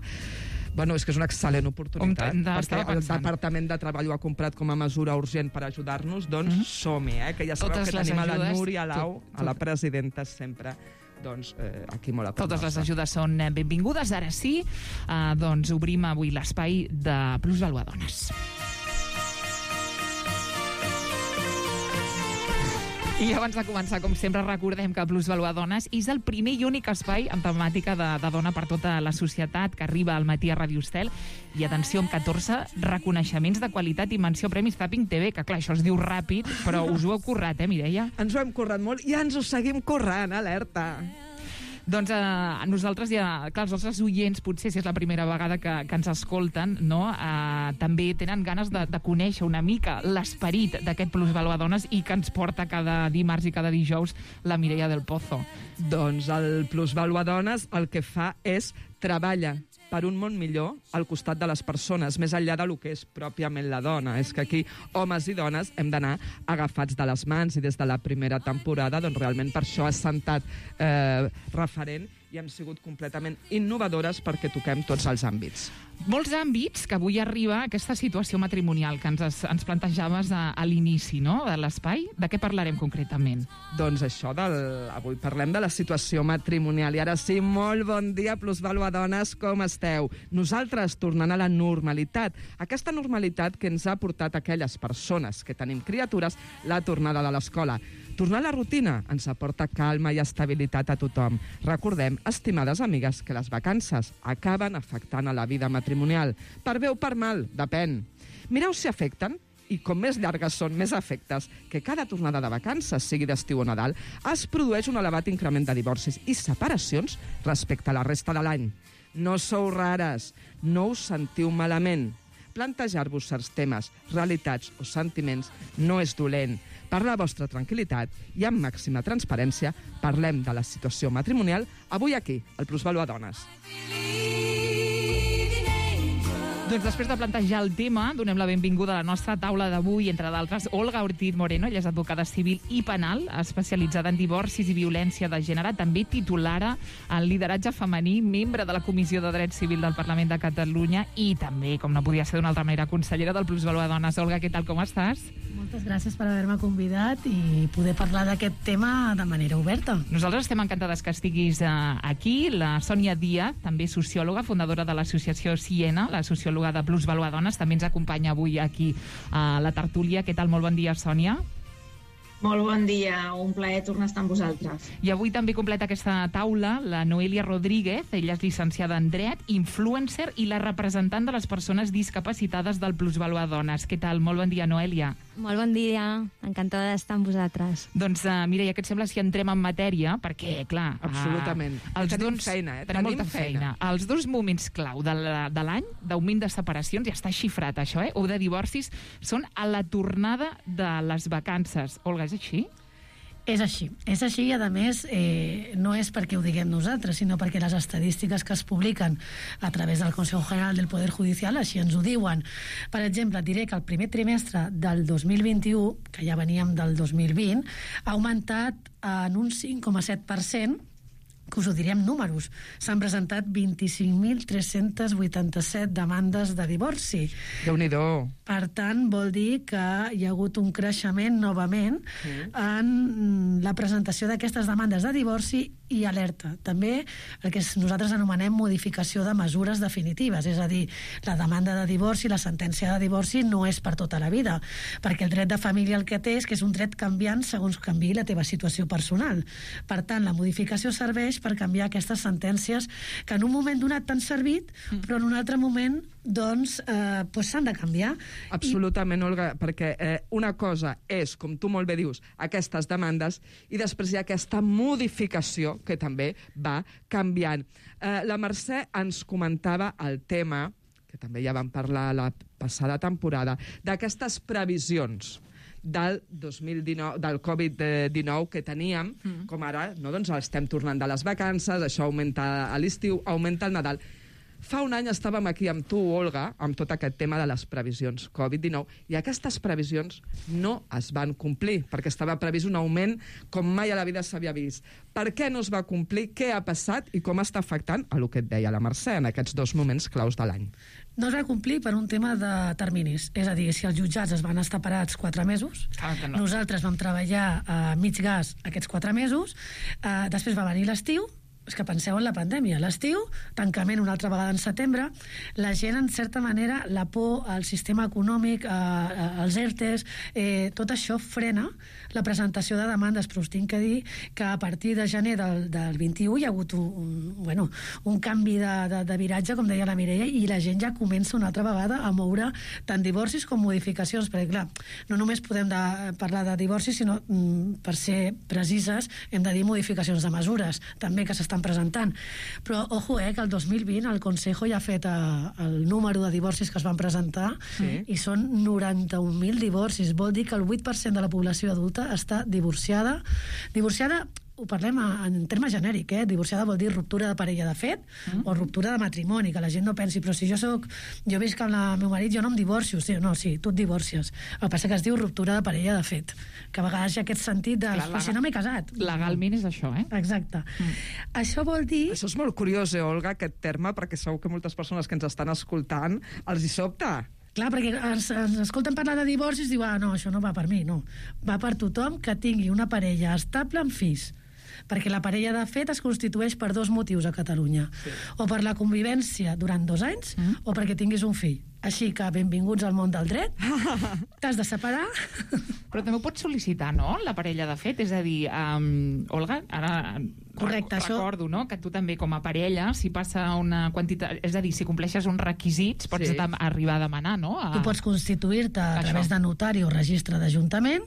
Bueno, és que és una excel·lent oportunitat, perquè el Departament de Treball ho ha comprat com a mesura urgent per ajudar-nos, doncs som-hi, que ja sabeu que tenim a la Núria Lau, a la presidenta, sempre doncs aquí molt a prop. Totes les ajudes són benvingudes. Ara sí, doncs obrim avui l'espai de Plusvalua Dones. I abans de començar, com sempre, recordem que Plusvalua Dones és el primer i únic espai amb temàtica de dona per tota la societat que arriba al matí a Ràdio Estel. I atenció, amb 14 reconeixements de qualitat i menció a Premis Zapping TV, que clar, això es diu ràpid, però us ho heu currat, Mireia? Ens ho hem currat molt i ens ho seguim currant, alerta! Doncs nosaltres ja, clar, els nostres oients, potser si és la primera vegada que ens escolten, no? També tenen ganes de conèixer una mica l'esperit d'aquest Plusvalua Dones i que ens porta cada dimarts i cada dijous la Mireia del Pozo. Doncs el Plusvalua Dones el que fa és treballa per un món millor al costat de les persones, més enllà del que és pròpiament la dona. És que aquí, homes i dones, hem d'anar agafats de les mans, i des de la primera temporada, doncs realment per això has sentat referent i hem sigut completament innovadores perquè toquem tots els àmbits. Molts àmbits que avui arriba aquesta situació matrimonial que ens plantejaves a l'inici, no?, de l'espai. De què parlarem concretament? Doncs això, avui parlem de la situació matrimonial. I ara sí, molt bon dia, Plusvalua Dones, com esteu? Nosaltres tornant a la normalitat. Aquesta normalitat que ens ha portat aquelles persones que tenim criatures la tornada de l'escola. Tornar a la rutina ens aporta calma i estabilitat a tothom. Recordem, estimades amigues, que les vacances acaben afectant a la vida matrimonial. Per bé o per mal, depèn. Mireu si afecten, i com més llargues són, més efectes, que cada tornada de vacances, sigui d'estiu o Nadal, es produeix un elevat increment de divorcis i separacions respecte a la resta de l'any. No sou rares, no us sentiu malament. Plantejar-vos certs temes, realitats o sentiments no és dolent. Per la vostra tranquil·litat i amb màxima transparència, parlem de la situació matrimonial avui aquí, al Plusvalua Dones. Doncs després de plantejar el tema, donem la benvinguda a la nostra taula d'avui, entre d'altres, Olga Ortiz Moreno, ella és advocada civil i penal, especialitzada en divorcis i violència de gènere, també titulara en lideratge femení, membre de la Comissió de Dret Civil del Parlament de Catalunya i també, com no podia ser d'una altra manera, consellera del Plusvalor Dones. Olga, què tal, com estàs? Moltes gràcies per haver-me convidat i poder parlar d'aquest tema de manera oberta. Nosaltres estem encantades que estiguis aquí. La Sònia Díaz, també sociòloga, fundadora de l'associació Siena, la sociòloga de Plusvalor Dones, també ens acompanya avui aquí a la tertúlia. Què tal? Molt bon dia, Sònia. Molt bon dia, un plaer tornar a estar amb vosaltres. I avui també completa aquesta taula la Noelia Rodríguez, ella és llicenciada en Dret, influencer i la representant de les persones discapacitades del Plusvalor Dones. Què tal? Molt bon dia, Noelia. Molt bon dia, encantada d'estar amb vosaltres. Doncs, Mireia, què et sembla si entrem en matèria? Perquè, clar... Absolutament. Tenim feina, Tenim molta feina. Els dos moments clau de l'any, d'augment de separacions, ja està xifrat això, o de divorcis, són a la tornada de les vacances. Olga, és així? És així. És així i, a més, no és perquè ho diguem nosaltres, sinó perquè les estadístiques que es publiquen a través del Consejo General del Poder Judicial així ens ho diuen. Per exemple, diré que el primer trimestre del 2021, que ja veníem del 2020, ha augmentat en un 5,7%, que us ho diré amb números. S'han presentat 25.387 demandes de divorci. Déu-n'hi-do. Per tant, vol dir que hi ha hagut un creixement novament en la presentació d'aquestes demandes de divorci i alerta. També el que nosaltres anomenem modificació de mesures definitives, és a dir, la demanda de divorci, la sentència de divorci no és per tota la vida, perquè el dret de família el que té és que és un dret canviant segons canviï la teva situació personal. Per tant, la modificació serveix per canviar aquestes sentències que en un moment donat t'han servit, però en un altre moment doncs s'han de canviar. Absolutament, Olga, perquè una cosa és, com tu molt bé dius, aquestes demandes, i després hi ha aquesta modificació que també va canviant. La Mercè ens comentava el tema, que també ja vam parlar la passada temporada, d'aquestes previsions del 2019, del Covid-19 que teníem, com ara, no, doncs estem tornant de les vacances, això augmenta a l'estiu, augmenta el Nadal. Fa un any estàvem aquí amb tu, Olga, amb tot aquest tema de les previsions Covid-19, i aquestes previsions no es van complir, perquè estava previst un augment com mai a la vida s'havia vist. Per què no es va complir? Què ha passat? I com està afectant a el que et deia la Mercè en aquests dos moments claus de l'any? No es va complir per un tema de terminis. És a dir, si els jutjats es van estar parats 4 mesos, nosaltres vam treballar a mig gas aquests 4 mesos, després va venir l'estiu. És que penseu en la pandèmia. L'estiu, tancament una altra vegada en setembre, la gent, en certa manera, la por al sistema econòmic, als ERTEs, tot això frena la presentació de demandes, però us tinc que dir que a partir de gener del 21 hi ha hagut un canvi de viratge, com deia la Mireia, i la gent ja comença una altra vegada a moure tant divorcis com modificacions, perquè clar, no només podem parlar de divorcis, sinó, per ser precises, hem de dir modificacions de mesures, també que s'estan presentant. Però, ojo, que el 2020 el Consejo ja ha fet el número de divorcis que es van presentar i són 91.000 divorcis. Vol dir que el 8% de la població adulta està divorciada. Divorciada, ho parlem en termes genèric, divorciada vol dir ruptura de parella de fet o ruptura de matrimoni, que la gent no pensi, però si jo visc amb el meu marit, jo no em divorcio. Sí, tu et divorcies. El que passa que es diu ruptura de parella de fet, que a vegades hi ha aquest sentit de si no m'he casat. Legalment és això, Exacte. Això vol dir... Això és molt curiós, Olga, aquest terme, perquè segur que moltes persones que ens estan escoltant els hi sobta. Clar, perquè ens escolten parlar de divorcis i diuen, no, això no va per mi, no. Va per tothom que tingui una parella estable amb fills. Perquè la parella de fet es constitueix per 2 motius a Catalunya. O per la convivència durant 2 anys o perquè tinguis un fill. Així que benvinguts al món del dret. T'has de separar. Però també ho pots sol·licitar, no?, la parella de fet. És a dir, Olga, ara recordo, no?, que tu també com a parella, si passa una quantitat... És a dir, si compleixes uns requisits, pots arribar a demanar, no? Tu pots constituir-te a través de notari o registre d'Ajuntament,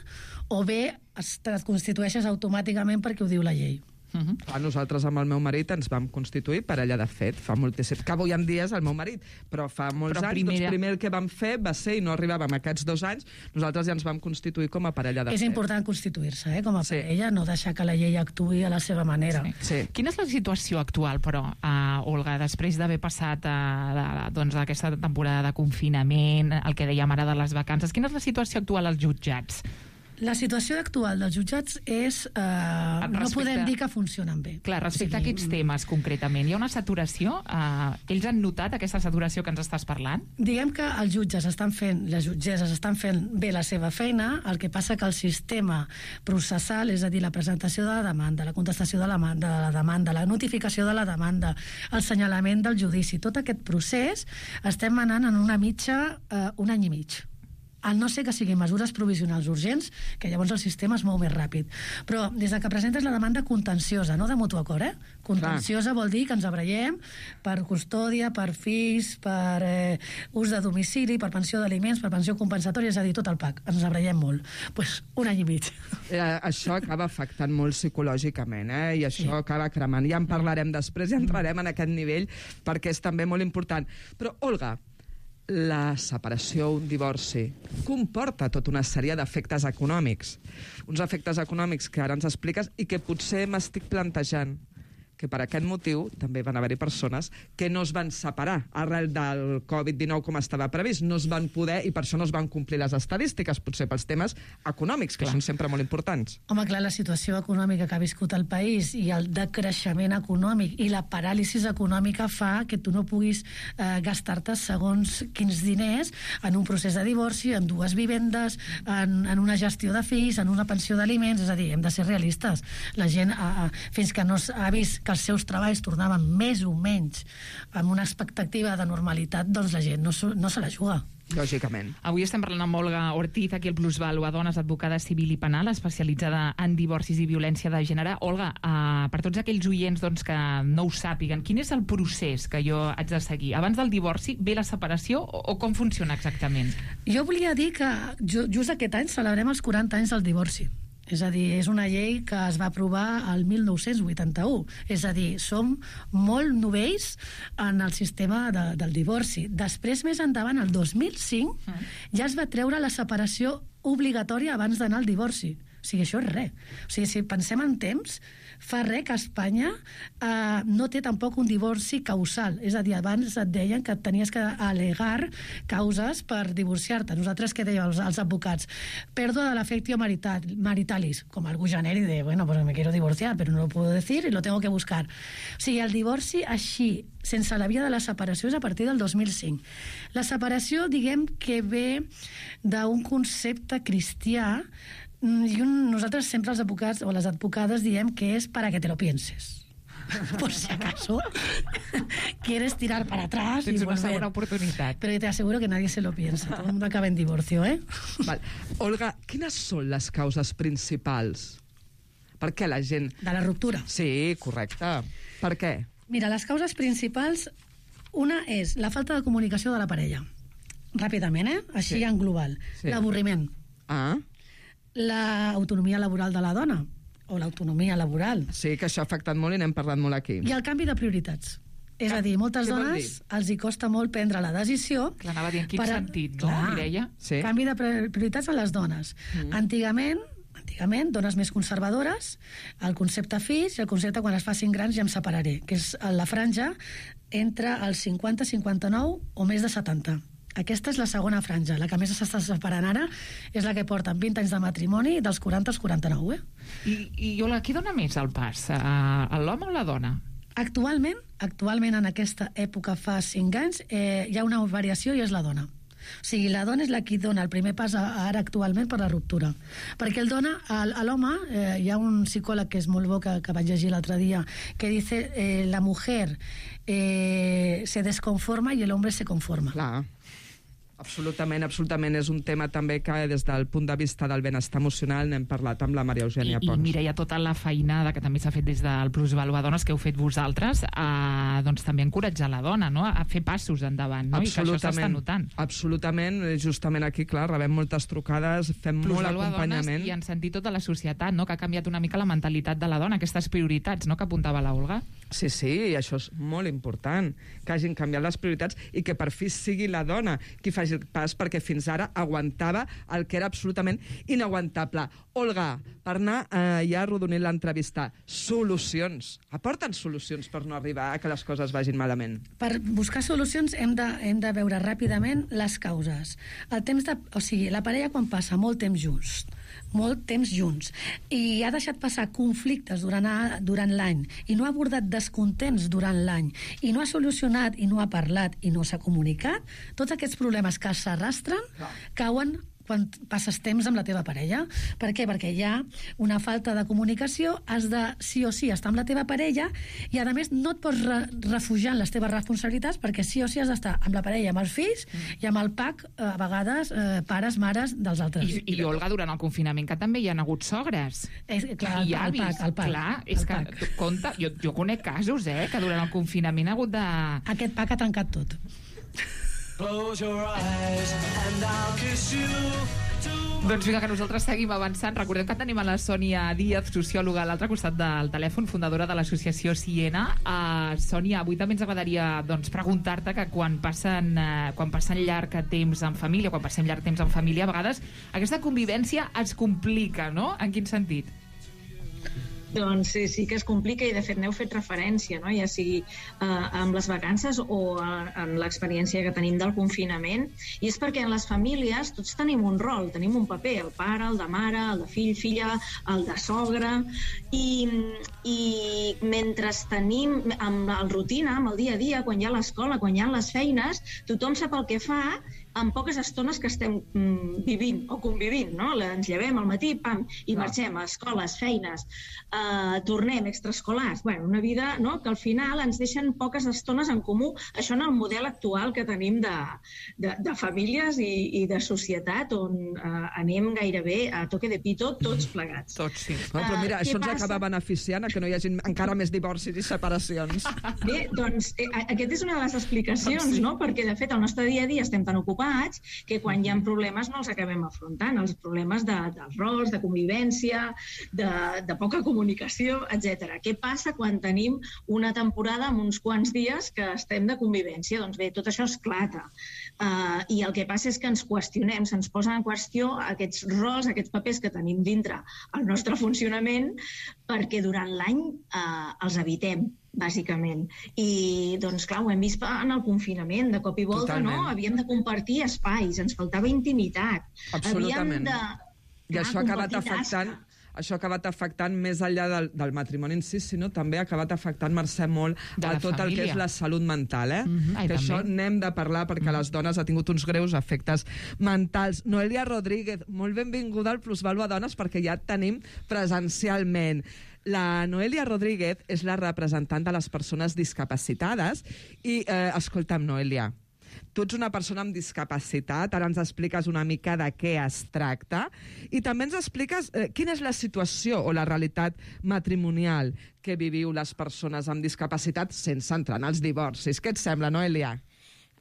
o bé et constitueixes automàticament perquè ho diu la llei. Nosaltres amb el meu marit ens vam constituir parella de fet, fa moltíssim, que avui en dia és el meu marit, però fa molts anys, doncs primer el que vam fer va ser, i no arribàvem a aquests 2 anys, nosaltres ja ens vam constituir com a parella de fet. És important constituir-se, com a parella, no deixar que la llei actuï a la seva manera. Quina és la situació actual, però, Olga, després d'haver passat aquesta temporada de confinament, el que dèiem ara de les vacances, quina és la situació actual als jutjats? La situació actual dels jutjats és... no podem dir que funcionen bé. Clar, respecte a aquests temes, concretament, hi ha una saturació? Ells han notat aquesta saturació que ens estàs parlant? Diguem que els jutges estan fent, les jutgesses estan fent bé la seva feina, el que passa que el sistema processal, és a dir, la presentació de la demanda, la contestació de la demanda, la notificació de la demanda, el senyalament del judici, tot aquest procés estem anant en una mitja un any i mig. Al no ser que siguin mesures provisionals urgents, que llavors el sistema es mou més ràpid. Però des que presentes la demanda contenciosa, no de mutu acord, contenciosa vol dir que ens abraiem per custòdia, per fills, per ús de domicili, per pensió d'aliments, per pensió compensatòria, és a dir, tot el PAC. Ens abraiem molt. Doncs un any i mig. Això acaba afectant molt psicològicament, i això acaba cremant. Ja en parlarem després, ja entrarem en aquest nivell, perquè és també molt important. Però, Olga, la separació, un divorci, comporta tota una sèrie d'efectes econòmics. Uns efectes econòmics que ara ens expliques i que potser m'estic plantejant que per aquest motiu també van haver-hi persones que no es van separar arrel del Covid-19 com estava previst, no es van poder i per això no es van complir les estadístiques, potser pels temes econòmics, que són sempre molt importants. Home, clar, la situació econòmica que ha viscut el país i el decreixement econòmic i la paràlisi econòmica fa que tu no puguis gastar-te segons quins diners en un procés de divorci, en 2 vivendes, en una gestió de fills, en una pensió d'aliments, és a dir, hem de ser realistes. La gent, fins que no ha vist que els seus treballs tornaven més o menys amb una expectativa de normalitat, doncs la gent no se la juga. Lògicament. Avui estem parlant amb Olga Ortiz, aquí al Plusvalua, dones, advocada civil i penal, especialitzada en divorcis i violència de gènere. Olga, per tots aquells oients que no ho sàpiguen, quin és el procés que jo haig de seguir? Abans del divorci ve la separació o com funciona exactament? Jo volia dir que just aquest any celebrem els 40 anys del divorci. És a dir, és una llei que es va aprovar el 1981. És a dir, som molt novells en el sistema del divorci. Després, més endavant, el 2005, ja es va treure la separació obligatòria abans d'anar al divorci. O sigui, això és res. O sigui, si pensem en temps, fa res que Espanya no té tampoc un divorci causal. És a dir, abans et deien que tenies que al·legar causes per divorciar-te. Nosaltres, què dèiem els advocats? Pèrdua de l'afectio maritalis, com algú generi de, bueno, pues me quiero divorciar, pero no lo puedo decir y lo tengo que buscar. O sigui, el divorci així, sense la via de la separació, és a partir del 2005. La separació, diguem que ve d'un concepte cristià i nosaltres sempre els advocats o les advocades diem que és para que te lo pienses. Por si acaso quieres tirar para atrás. Tens una segona oportunitat. Pero te aseguro que nadie se lo piensa. Todo el mundo acaba en divorcio, Val. Olga, quines són les causes principals? Per què la gent... De la ruptura. Sí, correcte. Per què? Mira, les causes principals, una és la falta de comunicació de la parella. Ràpidament, així en global. L'avorriment. L'autonomia laboral de la dona o l'autonomia laboral. Sí, que això ha afectat molt i n'hem parlat molt aquí. I el canvi de prioritats. És a dir, moltes dones els hi costa molt prendre la decisió... Clar, anava a dir en quin sentit, no, Mireia? Canvi de prioritats a les dones. Antigament, dones més conservadores, el concepte fills i el concepte quan es facin grans ja em separaré, que és la franja entre els 50, 59 o més de 70. Aquesta és la segona franja. La que més s'està separant ara és la que porten 20 anys de matrimoni dels 40 als 49. I Olga, qui dona més el pas? L'home o la dona? Actualment en aquesta època fa 5 anys hi ha una variació i és la dona. O sigui, la dona és la qui dona el primer pas ara actualment per la ruptura. Perquè el dona a l'home, hi ha un psicòleg que és molt bo que vaig llegir l'altre dia, que dice la mujer se desconforma y el hombre se conforma. Clar. Absolutament, absolutament. És un tema també que des del punt de vista del benestar emocional n'hem parlat amb la Maria Eugènia Pons. I mira, hi ha tota la feinada que també s'ha fet des del Plusvalua Dones que heu fet vosaltres, doncs també encoratjar la dona, no?, a fer passos endavant, no?, i que això s'està notant. Absolutament, justament aquí, clar, rebem moltes trucades, fem molt acompanyament. I en sentit tota la societat, no?, que ha canviat una mica la mentalitat de la dona, aquestes prioritats, no?, que apuntava la Olga. Sí, i això és molt important, que hagin canviat les prioritats i que per fi sigui la dona qui faci el pas, perquè fins ara aguantava el que era absolutament inaguantable. Olga, per anar ja arrodonint l'entrevista, solucions. Aporten solucions per no arribar a que les coses vagin malament. Per buscar solucions hem de veure ràpidament les causes. La parella quan passa molt temps junts i ha deixat passar conflictes durant l'any i no ha abordat descontents durant l'any i no ha solucionat i no ha parlat i no s'ha comunicat, tots aquests problemes que s'arrastren cauen quan passes temps amb la teva parella. Per què? Perquè hi ha una falta de comunicació, has de sí o sí estar amb la teva parella i a més no et pots refugiar en les teves responsabilitats perquè sí o sí has d'estar amb la parella, amb els fills i amb el pack, a vegades, pares, mares dels altres. I Olga, durant el confinament que també hi ha hagut sogres. Clar, el pack. Clar, és que, compte, jo conec casos, que durant el confinament ha hagut de... Aquest pack ha tancat tot. Close your eyes and I'll kiss you. Doncs vinga, que nosaltres seguim avançant. Recordem que tenim a la Sònia Díaz, sociòloga a l'altre costat del telèfon, fundadora de l'associació Siena. Sònia, avui també ens agradaria preguntar-te que quan passen llarg temps en família, quan passem llarg temps en família, a vegades aquesta convivència es complica, no? En quin sentit? Doncs sí que es complica i de fet n'heu fet referència, no? Ja sigui amb les vacances o en l'experiència que tenim del confinament, i és perquè en les famílies tots tenim un rol, tenim un paper, el pare, el de mare, el de fill, filla, el de sogra, i mentre tenim amb la rutina, amb el dia a dia, quan hi ha l'escola, quan hi ha les feines, tothom sap el que fa en poques estones que estem vivint o convivint, no? Ens llevem al matí, pam, i marxem a escoles, feines, tornem, extraescolars, bueno, una vida, no?, que al final ens deixen poques estones en comú. Això en el model actual que tenim de famílies i de societat on anem gairebé a toque de pito tots plegats. Tots, sí. Però mira, això ens acaba beneficiant a que no hi hagi encara més divorcis i separacions. Bé, doncs aquesta és una de les explicacions, no?, perquè de fet al nostre dia a dia estem tan ocupats que quan hi ha problemes no els acabem afrontant, els problemes dels rols, de convivència, de poca comunicació, etc. Què passa quan tenim una temporada amb uns quants dies que estem de convivència? Doncs bé, tot això esclata. I el que passa és que ens qüestionem, se'ns posen en qüestió aquests rols, aquests papers que tenim dintre el nostre funcionament, perquè durant l'any els evitem, bàsicament. I, doncs, clar, ho hem vist en el confinament, de cop i volta, totalment. No? Havíem de compartir espais, ens faltava intimitat. Absolutament. I això ha acabat afectant... Això ha acabat afectant més enllà del matrimoni en si, sinó també ha acabat afectant, Mercè, molt a tot el que és la salut mental, que això n'hem de parlar perquè les dones ha tingut uns greus efectes mentals. Noelia Rodríguez, molt benvinguda al Plusvalua Dones perquè ja et tenim presencialment. La Noelia Rodríguez és la representant de les persones discapacitades i, escolta'm, Noelia, tu ets una persona amb discapacitat, ara ens expliques una mica de què es tracta i també ens expliques quina és la situació o la realitat matrimonial que viviu les persones amb discapacitat sense entrar en els divorcis. Què et sembla, Noelia?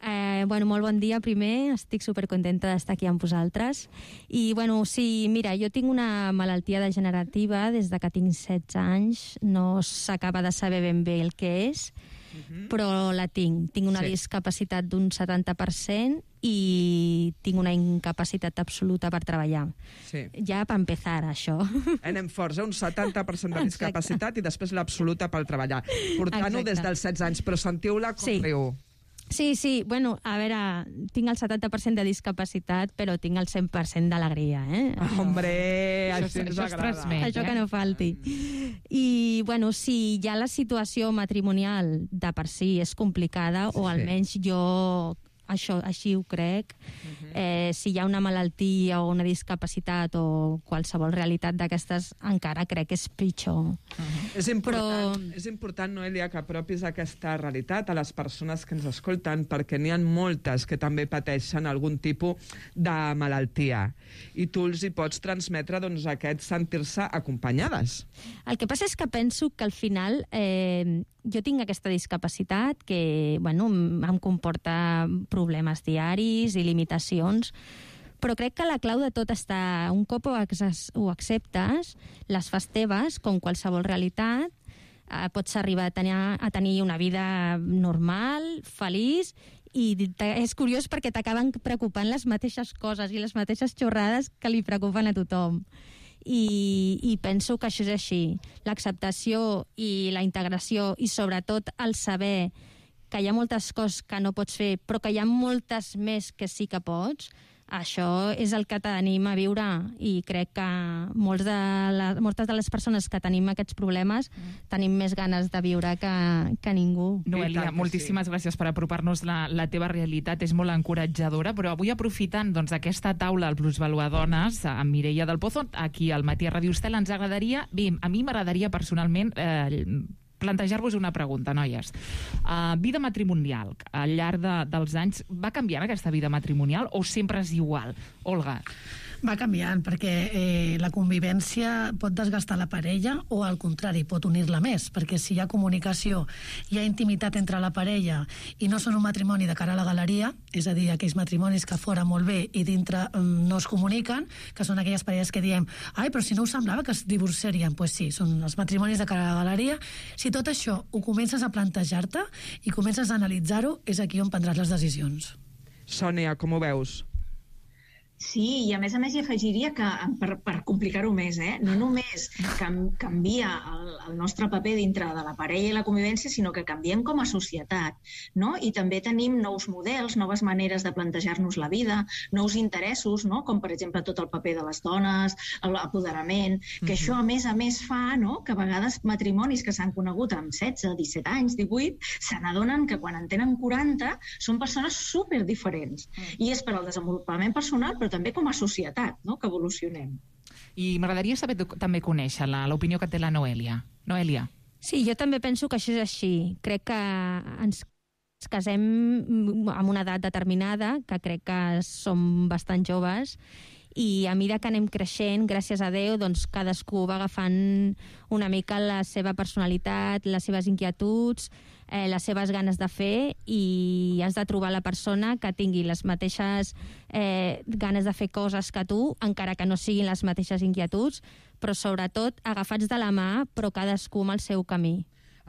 Molt bon dia, primer. Estic supercontenta d'estar aquí amb vosaltres. I, sí, mira, jo tinc una malaltia degenerativa des que tinc 16 anys. No s'acaba de saber ben bé el que és, però la tinc. Tinc una discapacitat d'un 70% i tinc una incapacitat absoluta per treballar. Sí. Ja per empezar, això. Anem forts, un 70% de discapacitat i després l'absoluta per treballar. Portant-ho des dels 16 anys, però sentiu-la com riu. Sí, a veure, tinc el 70% de discapacitat, però tinc el 100% d'alegria, Hombre, això ens agrada. Això que no falti. I, sí, ja la situació matrimonial de per si és complicada, o almenys jo així ho crec. Si hi ha una malaltia o una discapacitat o qualsevol realitat d'aquestes, encara crec que és pitjor. És important, Noelia, que apropis aquesta realitat a les persones que ens escolten, perquè n'hi ha moltes que també pateixen algun tipus de malaltia. I tu els hi pots transmetre aquest sentir-se acompanyades. El que passa és que penso que al final jo tinc aquesta discapacitat que em comporta problemes diaris i limitacions, però crec que la clau de tot està, un cop ho acceptes, les fas teves, com qualsevol realitat, pots arribar a tenir una vida normal, feliç, i és curiós perquè t'acaben preocupant les mateixes coses i les mateixes xorrades que li preocupen a tothom. I penso que això és així. L'acceptació i la integració i sobretot el saber que hi ha moltes coses que no pots fer però que hi ha moltes més que sí que pots, això és el que t'anima a viure, i crec que moltes de les persones que tenim aquests problemes tenim més ganes de viure que ningú. Noelia, moltíssimes gràcies per apropar-nos la teva realitat, és molt encoratjadora, però avui aprofitant aquesta taula al Plusvaluadones amb Mireia del Pozo, aquí al Matí a Ràdio Estel, ens agradaria, a mi m'agradaria personalment plantejar-vos una pregunta, noies. Vida matrimonial, al llarg dels anys, va canviant aquesta vida matrimonial o sempre és igual? Olga. Va canviant, perquè la convivència pot desgastar la parella o, al contrari, pot unir-la més, perquè si hi ha comunicació, hi ha intimitat entre la parella i no són un matrimoni de cara a la galeria, és a dir, aquells matrimonis que fora molt bé i dintre no es comuniquen, que són aquelles parelles que diem però si no us semblava que es divorciarien. Doncs sí, són els matrimonis de cara a la galeria. Si tot això ho comences a plantejar-te i comences a analitzar-ho, és aquí on prendràs les decisions. Sònia, com ho veus? Sí, i a més hi afegiria que, per complicar-ho més, no només canvia el nostre paper dintre de la parella i la convivència, sinó que canviem com a societat, no? I també tenim nous models, noves maneres de plantejar-nos la vida, nous interessos, no? Com per exemple tot el paper de les dones, l'apoderament, que això a més fa que a vegades matrimonis que s'han conegut amb 16, 17 anys, 18, se n'adonen que quan en tenen 40 són persones superdiferents. I és per al desenvolupament personal, però també com a societat, que evolucionem. I m'agradaria saber també conèixer l'opinió que té la Noelia. Noelia. Sí, jo també penso que això és així. Crec que ens casem amb una edat determinada, que crec que som bastant joves, i a mesura que anem creixent, gràcies a Déu, doncs cadascú va agafant una mica la seva personalitat, les seves inquietuds, les seves ganes de fer, i has de trobar la persona que tingui les mateixes ganes de fer coses que tu, encara que no siguin les mateixes inquietuds, però sobretot agafats de la mà, però cadascú amb el seu camí.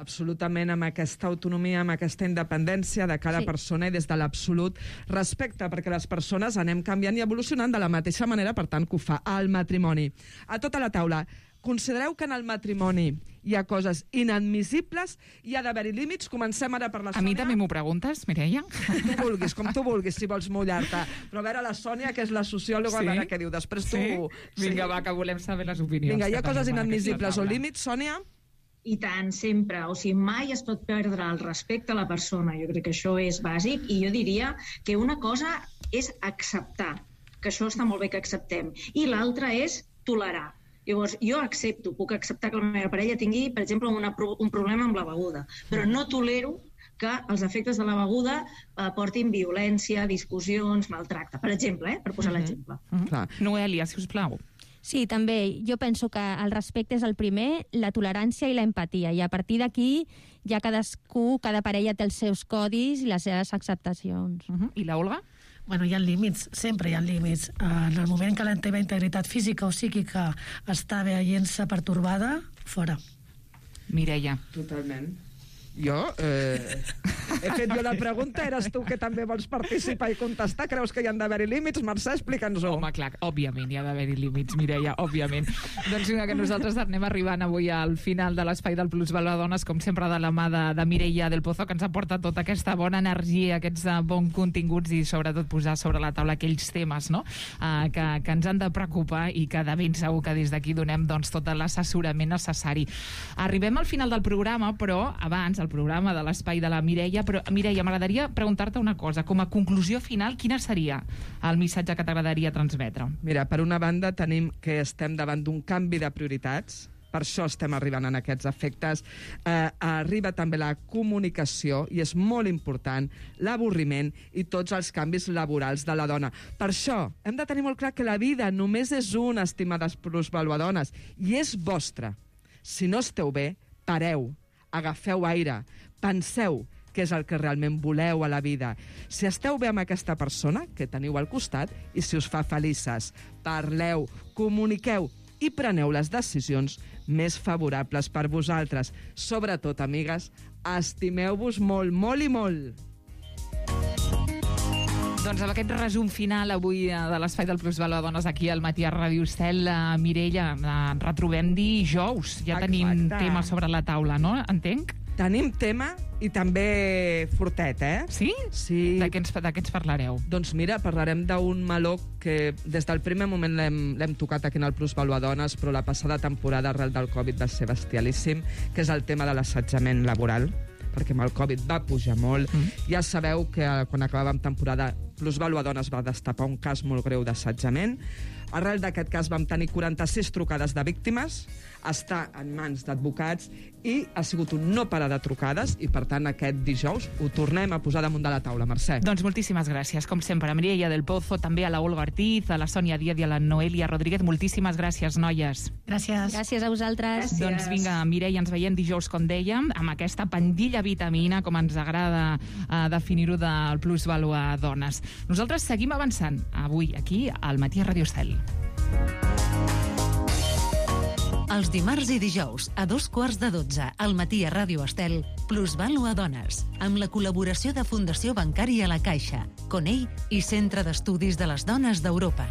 Absolutament, amb aquesta autonomia, amb aquesta independència de cada persona i des de l'absolut respecte, perquè les persones anem canviant i evolucionant de la mateixa manera, per tant, que ho fa el matrimoni. A tota la taula, considereu que en el matrimoni hi ha coses inadmissibles, hi ha d'haver-hi límits? Comencem ara per la Sònia. A mi també m'ho preguntes, Mireia? Com tu vulguis, si vols mullar-te. Però a veure, la Sònia, que és la sociòloga, a veure què diu. Després tu... Vinga, va, que volem saber les opinions. Vinga, hi ha coses inadmissibles o límits, Sònia? I tant, sempre. O sigui, mai es pot perdre el respecte a la persona. Jo crec que això és bàsic, i jo diria que una cosa és acceptar, que això està molt bé que acceptem, i l'altra és tolerar. Llavors, jo puc acceptar que la meva parella tingui, per exemple, un problema amb la beguda, però no tolero que els efectes de la beguda portin violència, discussions, maltracte, per exemple, per posar l'exemple. Noelia, si us plau. Sí, també. Jo penso que el respecte és el primer, la tolerància i la empatia. I a partir d'aquí ja cada parella té els seus codis i les seves acceptacions. I la Olga? Bueno, hi ha límits, sempre hi ha límits. En el moment que la teva integritat física o psíquica està veient-se pertorbada, fora. Mireia. Totalment. Jo? He fet jo la pregunta, eres tu que també vols participar i contestar? Creus que hi han d'haver-hi límits? Mercè, explica'ns-ho. Home, clar, òbviament hi ha d'haver-hi límits, Mireia, òbviament. Doncs que nosaltres anem arribant avui al final de l'espai del Plusvaluadones, com sempre de la mà de Mireia del Pozo, que ens aporta tota aquesta bona energia, aquests bons continguts i sobretot posar sobre la taula aquells temes, no? Que ens han de preocupar i que de ben segur que des d'aquí donem tot l'assessorament necessari. Arribem al final del programa, però abans, el programa de l'espai de la Mireia, Però, Mireia, m'agradaria preguntar-te una cosa. Com a conclusió final, quina seria el missatge que t'agradaria transmetre? Mira, per una banda tenim que estem davant d'un canvi de prioritats, per això estem arribant en aquests efectes. Arriba també la comunicació, i és molt important, l'avorriment i tots els canvis laborals de la dona. Per això hem de tenir molt clar que la vida només és una, estimades plusvaluadones, i és vostra. Si no esteu bé, pareu, agafeu aire, penseu què és el que realment voleu a la vida. Si esteu bé amb aquesta persona que teniu al costat i si us fa felices, parleu, comuniqueu i preneu les decisions més favorables per vosaltres. Sobretot, amigues, estimeu-vos molt, molt i molt. Doncs amb aquest resum final avui de l'Espai del Plusvaluadones aquí al Matí a Ràdio Estel, Mireia, retrobem dijous. Ja tenim tema sobre la taula, no? Entenc? Tenim tema i també fortet, eh? Sí? Sí. De què ens parlareu? Doncs mira, parlarem d'un meló que des del primer moment l'hem tocat aquí en el Plusvaluadones, però la passada temporada, arrel del Covid, va ser bestialíssim, que és el tema de l'assetjament laboral, perquè amb el Covid va pujar molt. Ja sabeu que quan acabàvem temporada, Plusvaluadones va destapar un cas molt greu d'assetjament. Arrel d'aquest cas vam tenir 46 trucades de víctimes, està en mans d'advocats i ha sigut un no parar de trucades i, per tant, aquest dijous ho tornem a posar damunt de la taula. Mercè. Doncs moltíssimes gràcies, com sempre, a Mireia del Pozo, també a la Olga Ortiz, a la Sònia Díaz i a la Noelia Rodríguez. Moltíssimes gràcies, noies. Gràcies. Gràcies a vosaltres. Gràcies. Doncs vinga, Mireia, ens veiem dijous, com dèiem, amb aquesta pandilla vitamina, com ens agrada definir-ho, del Plusvaluadones. Nosaltres seguim avançant avui aquí al Matí a Ràdio Estel. Els dimarts i dijous, a 2:15 al Matí a Ràdio Estel, Plusvaluadones, amb la col·laboració de Fundació Bancària La Caixa, Conell i Centre d'Estudis de les Dones d'Europa.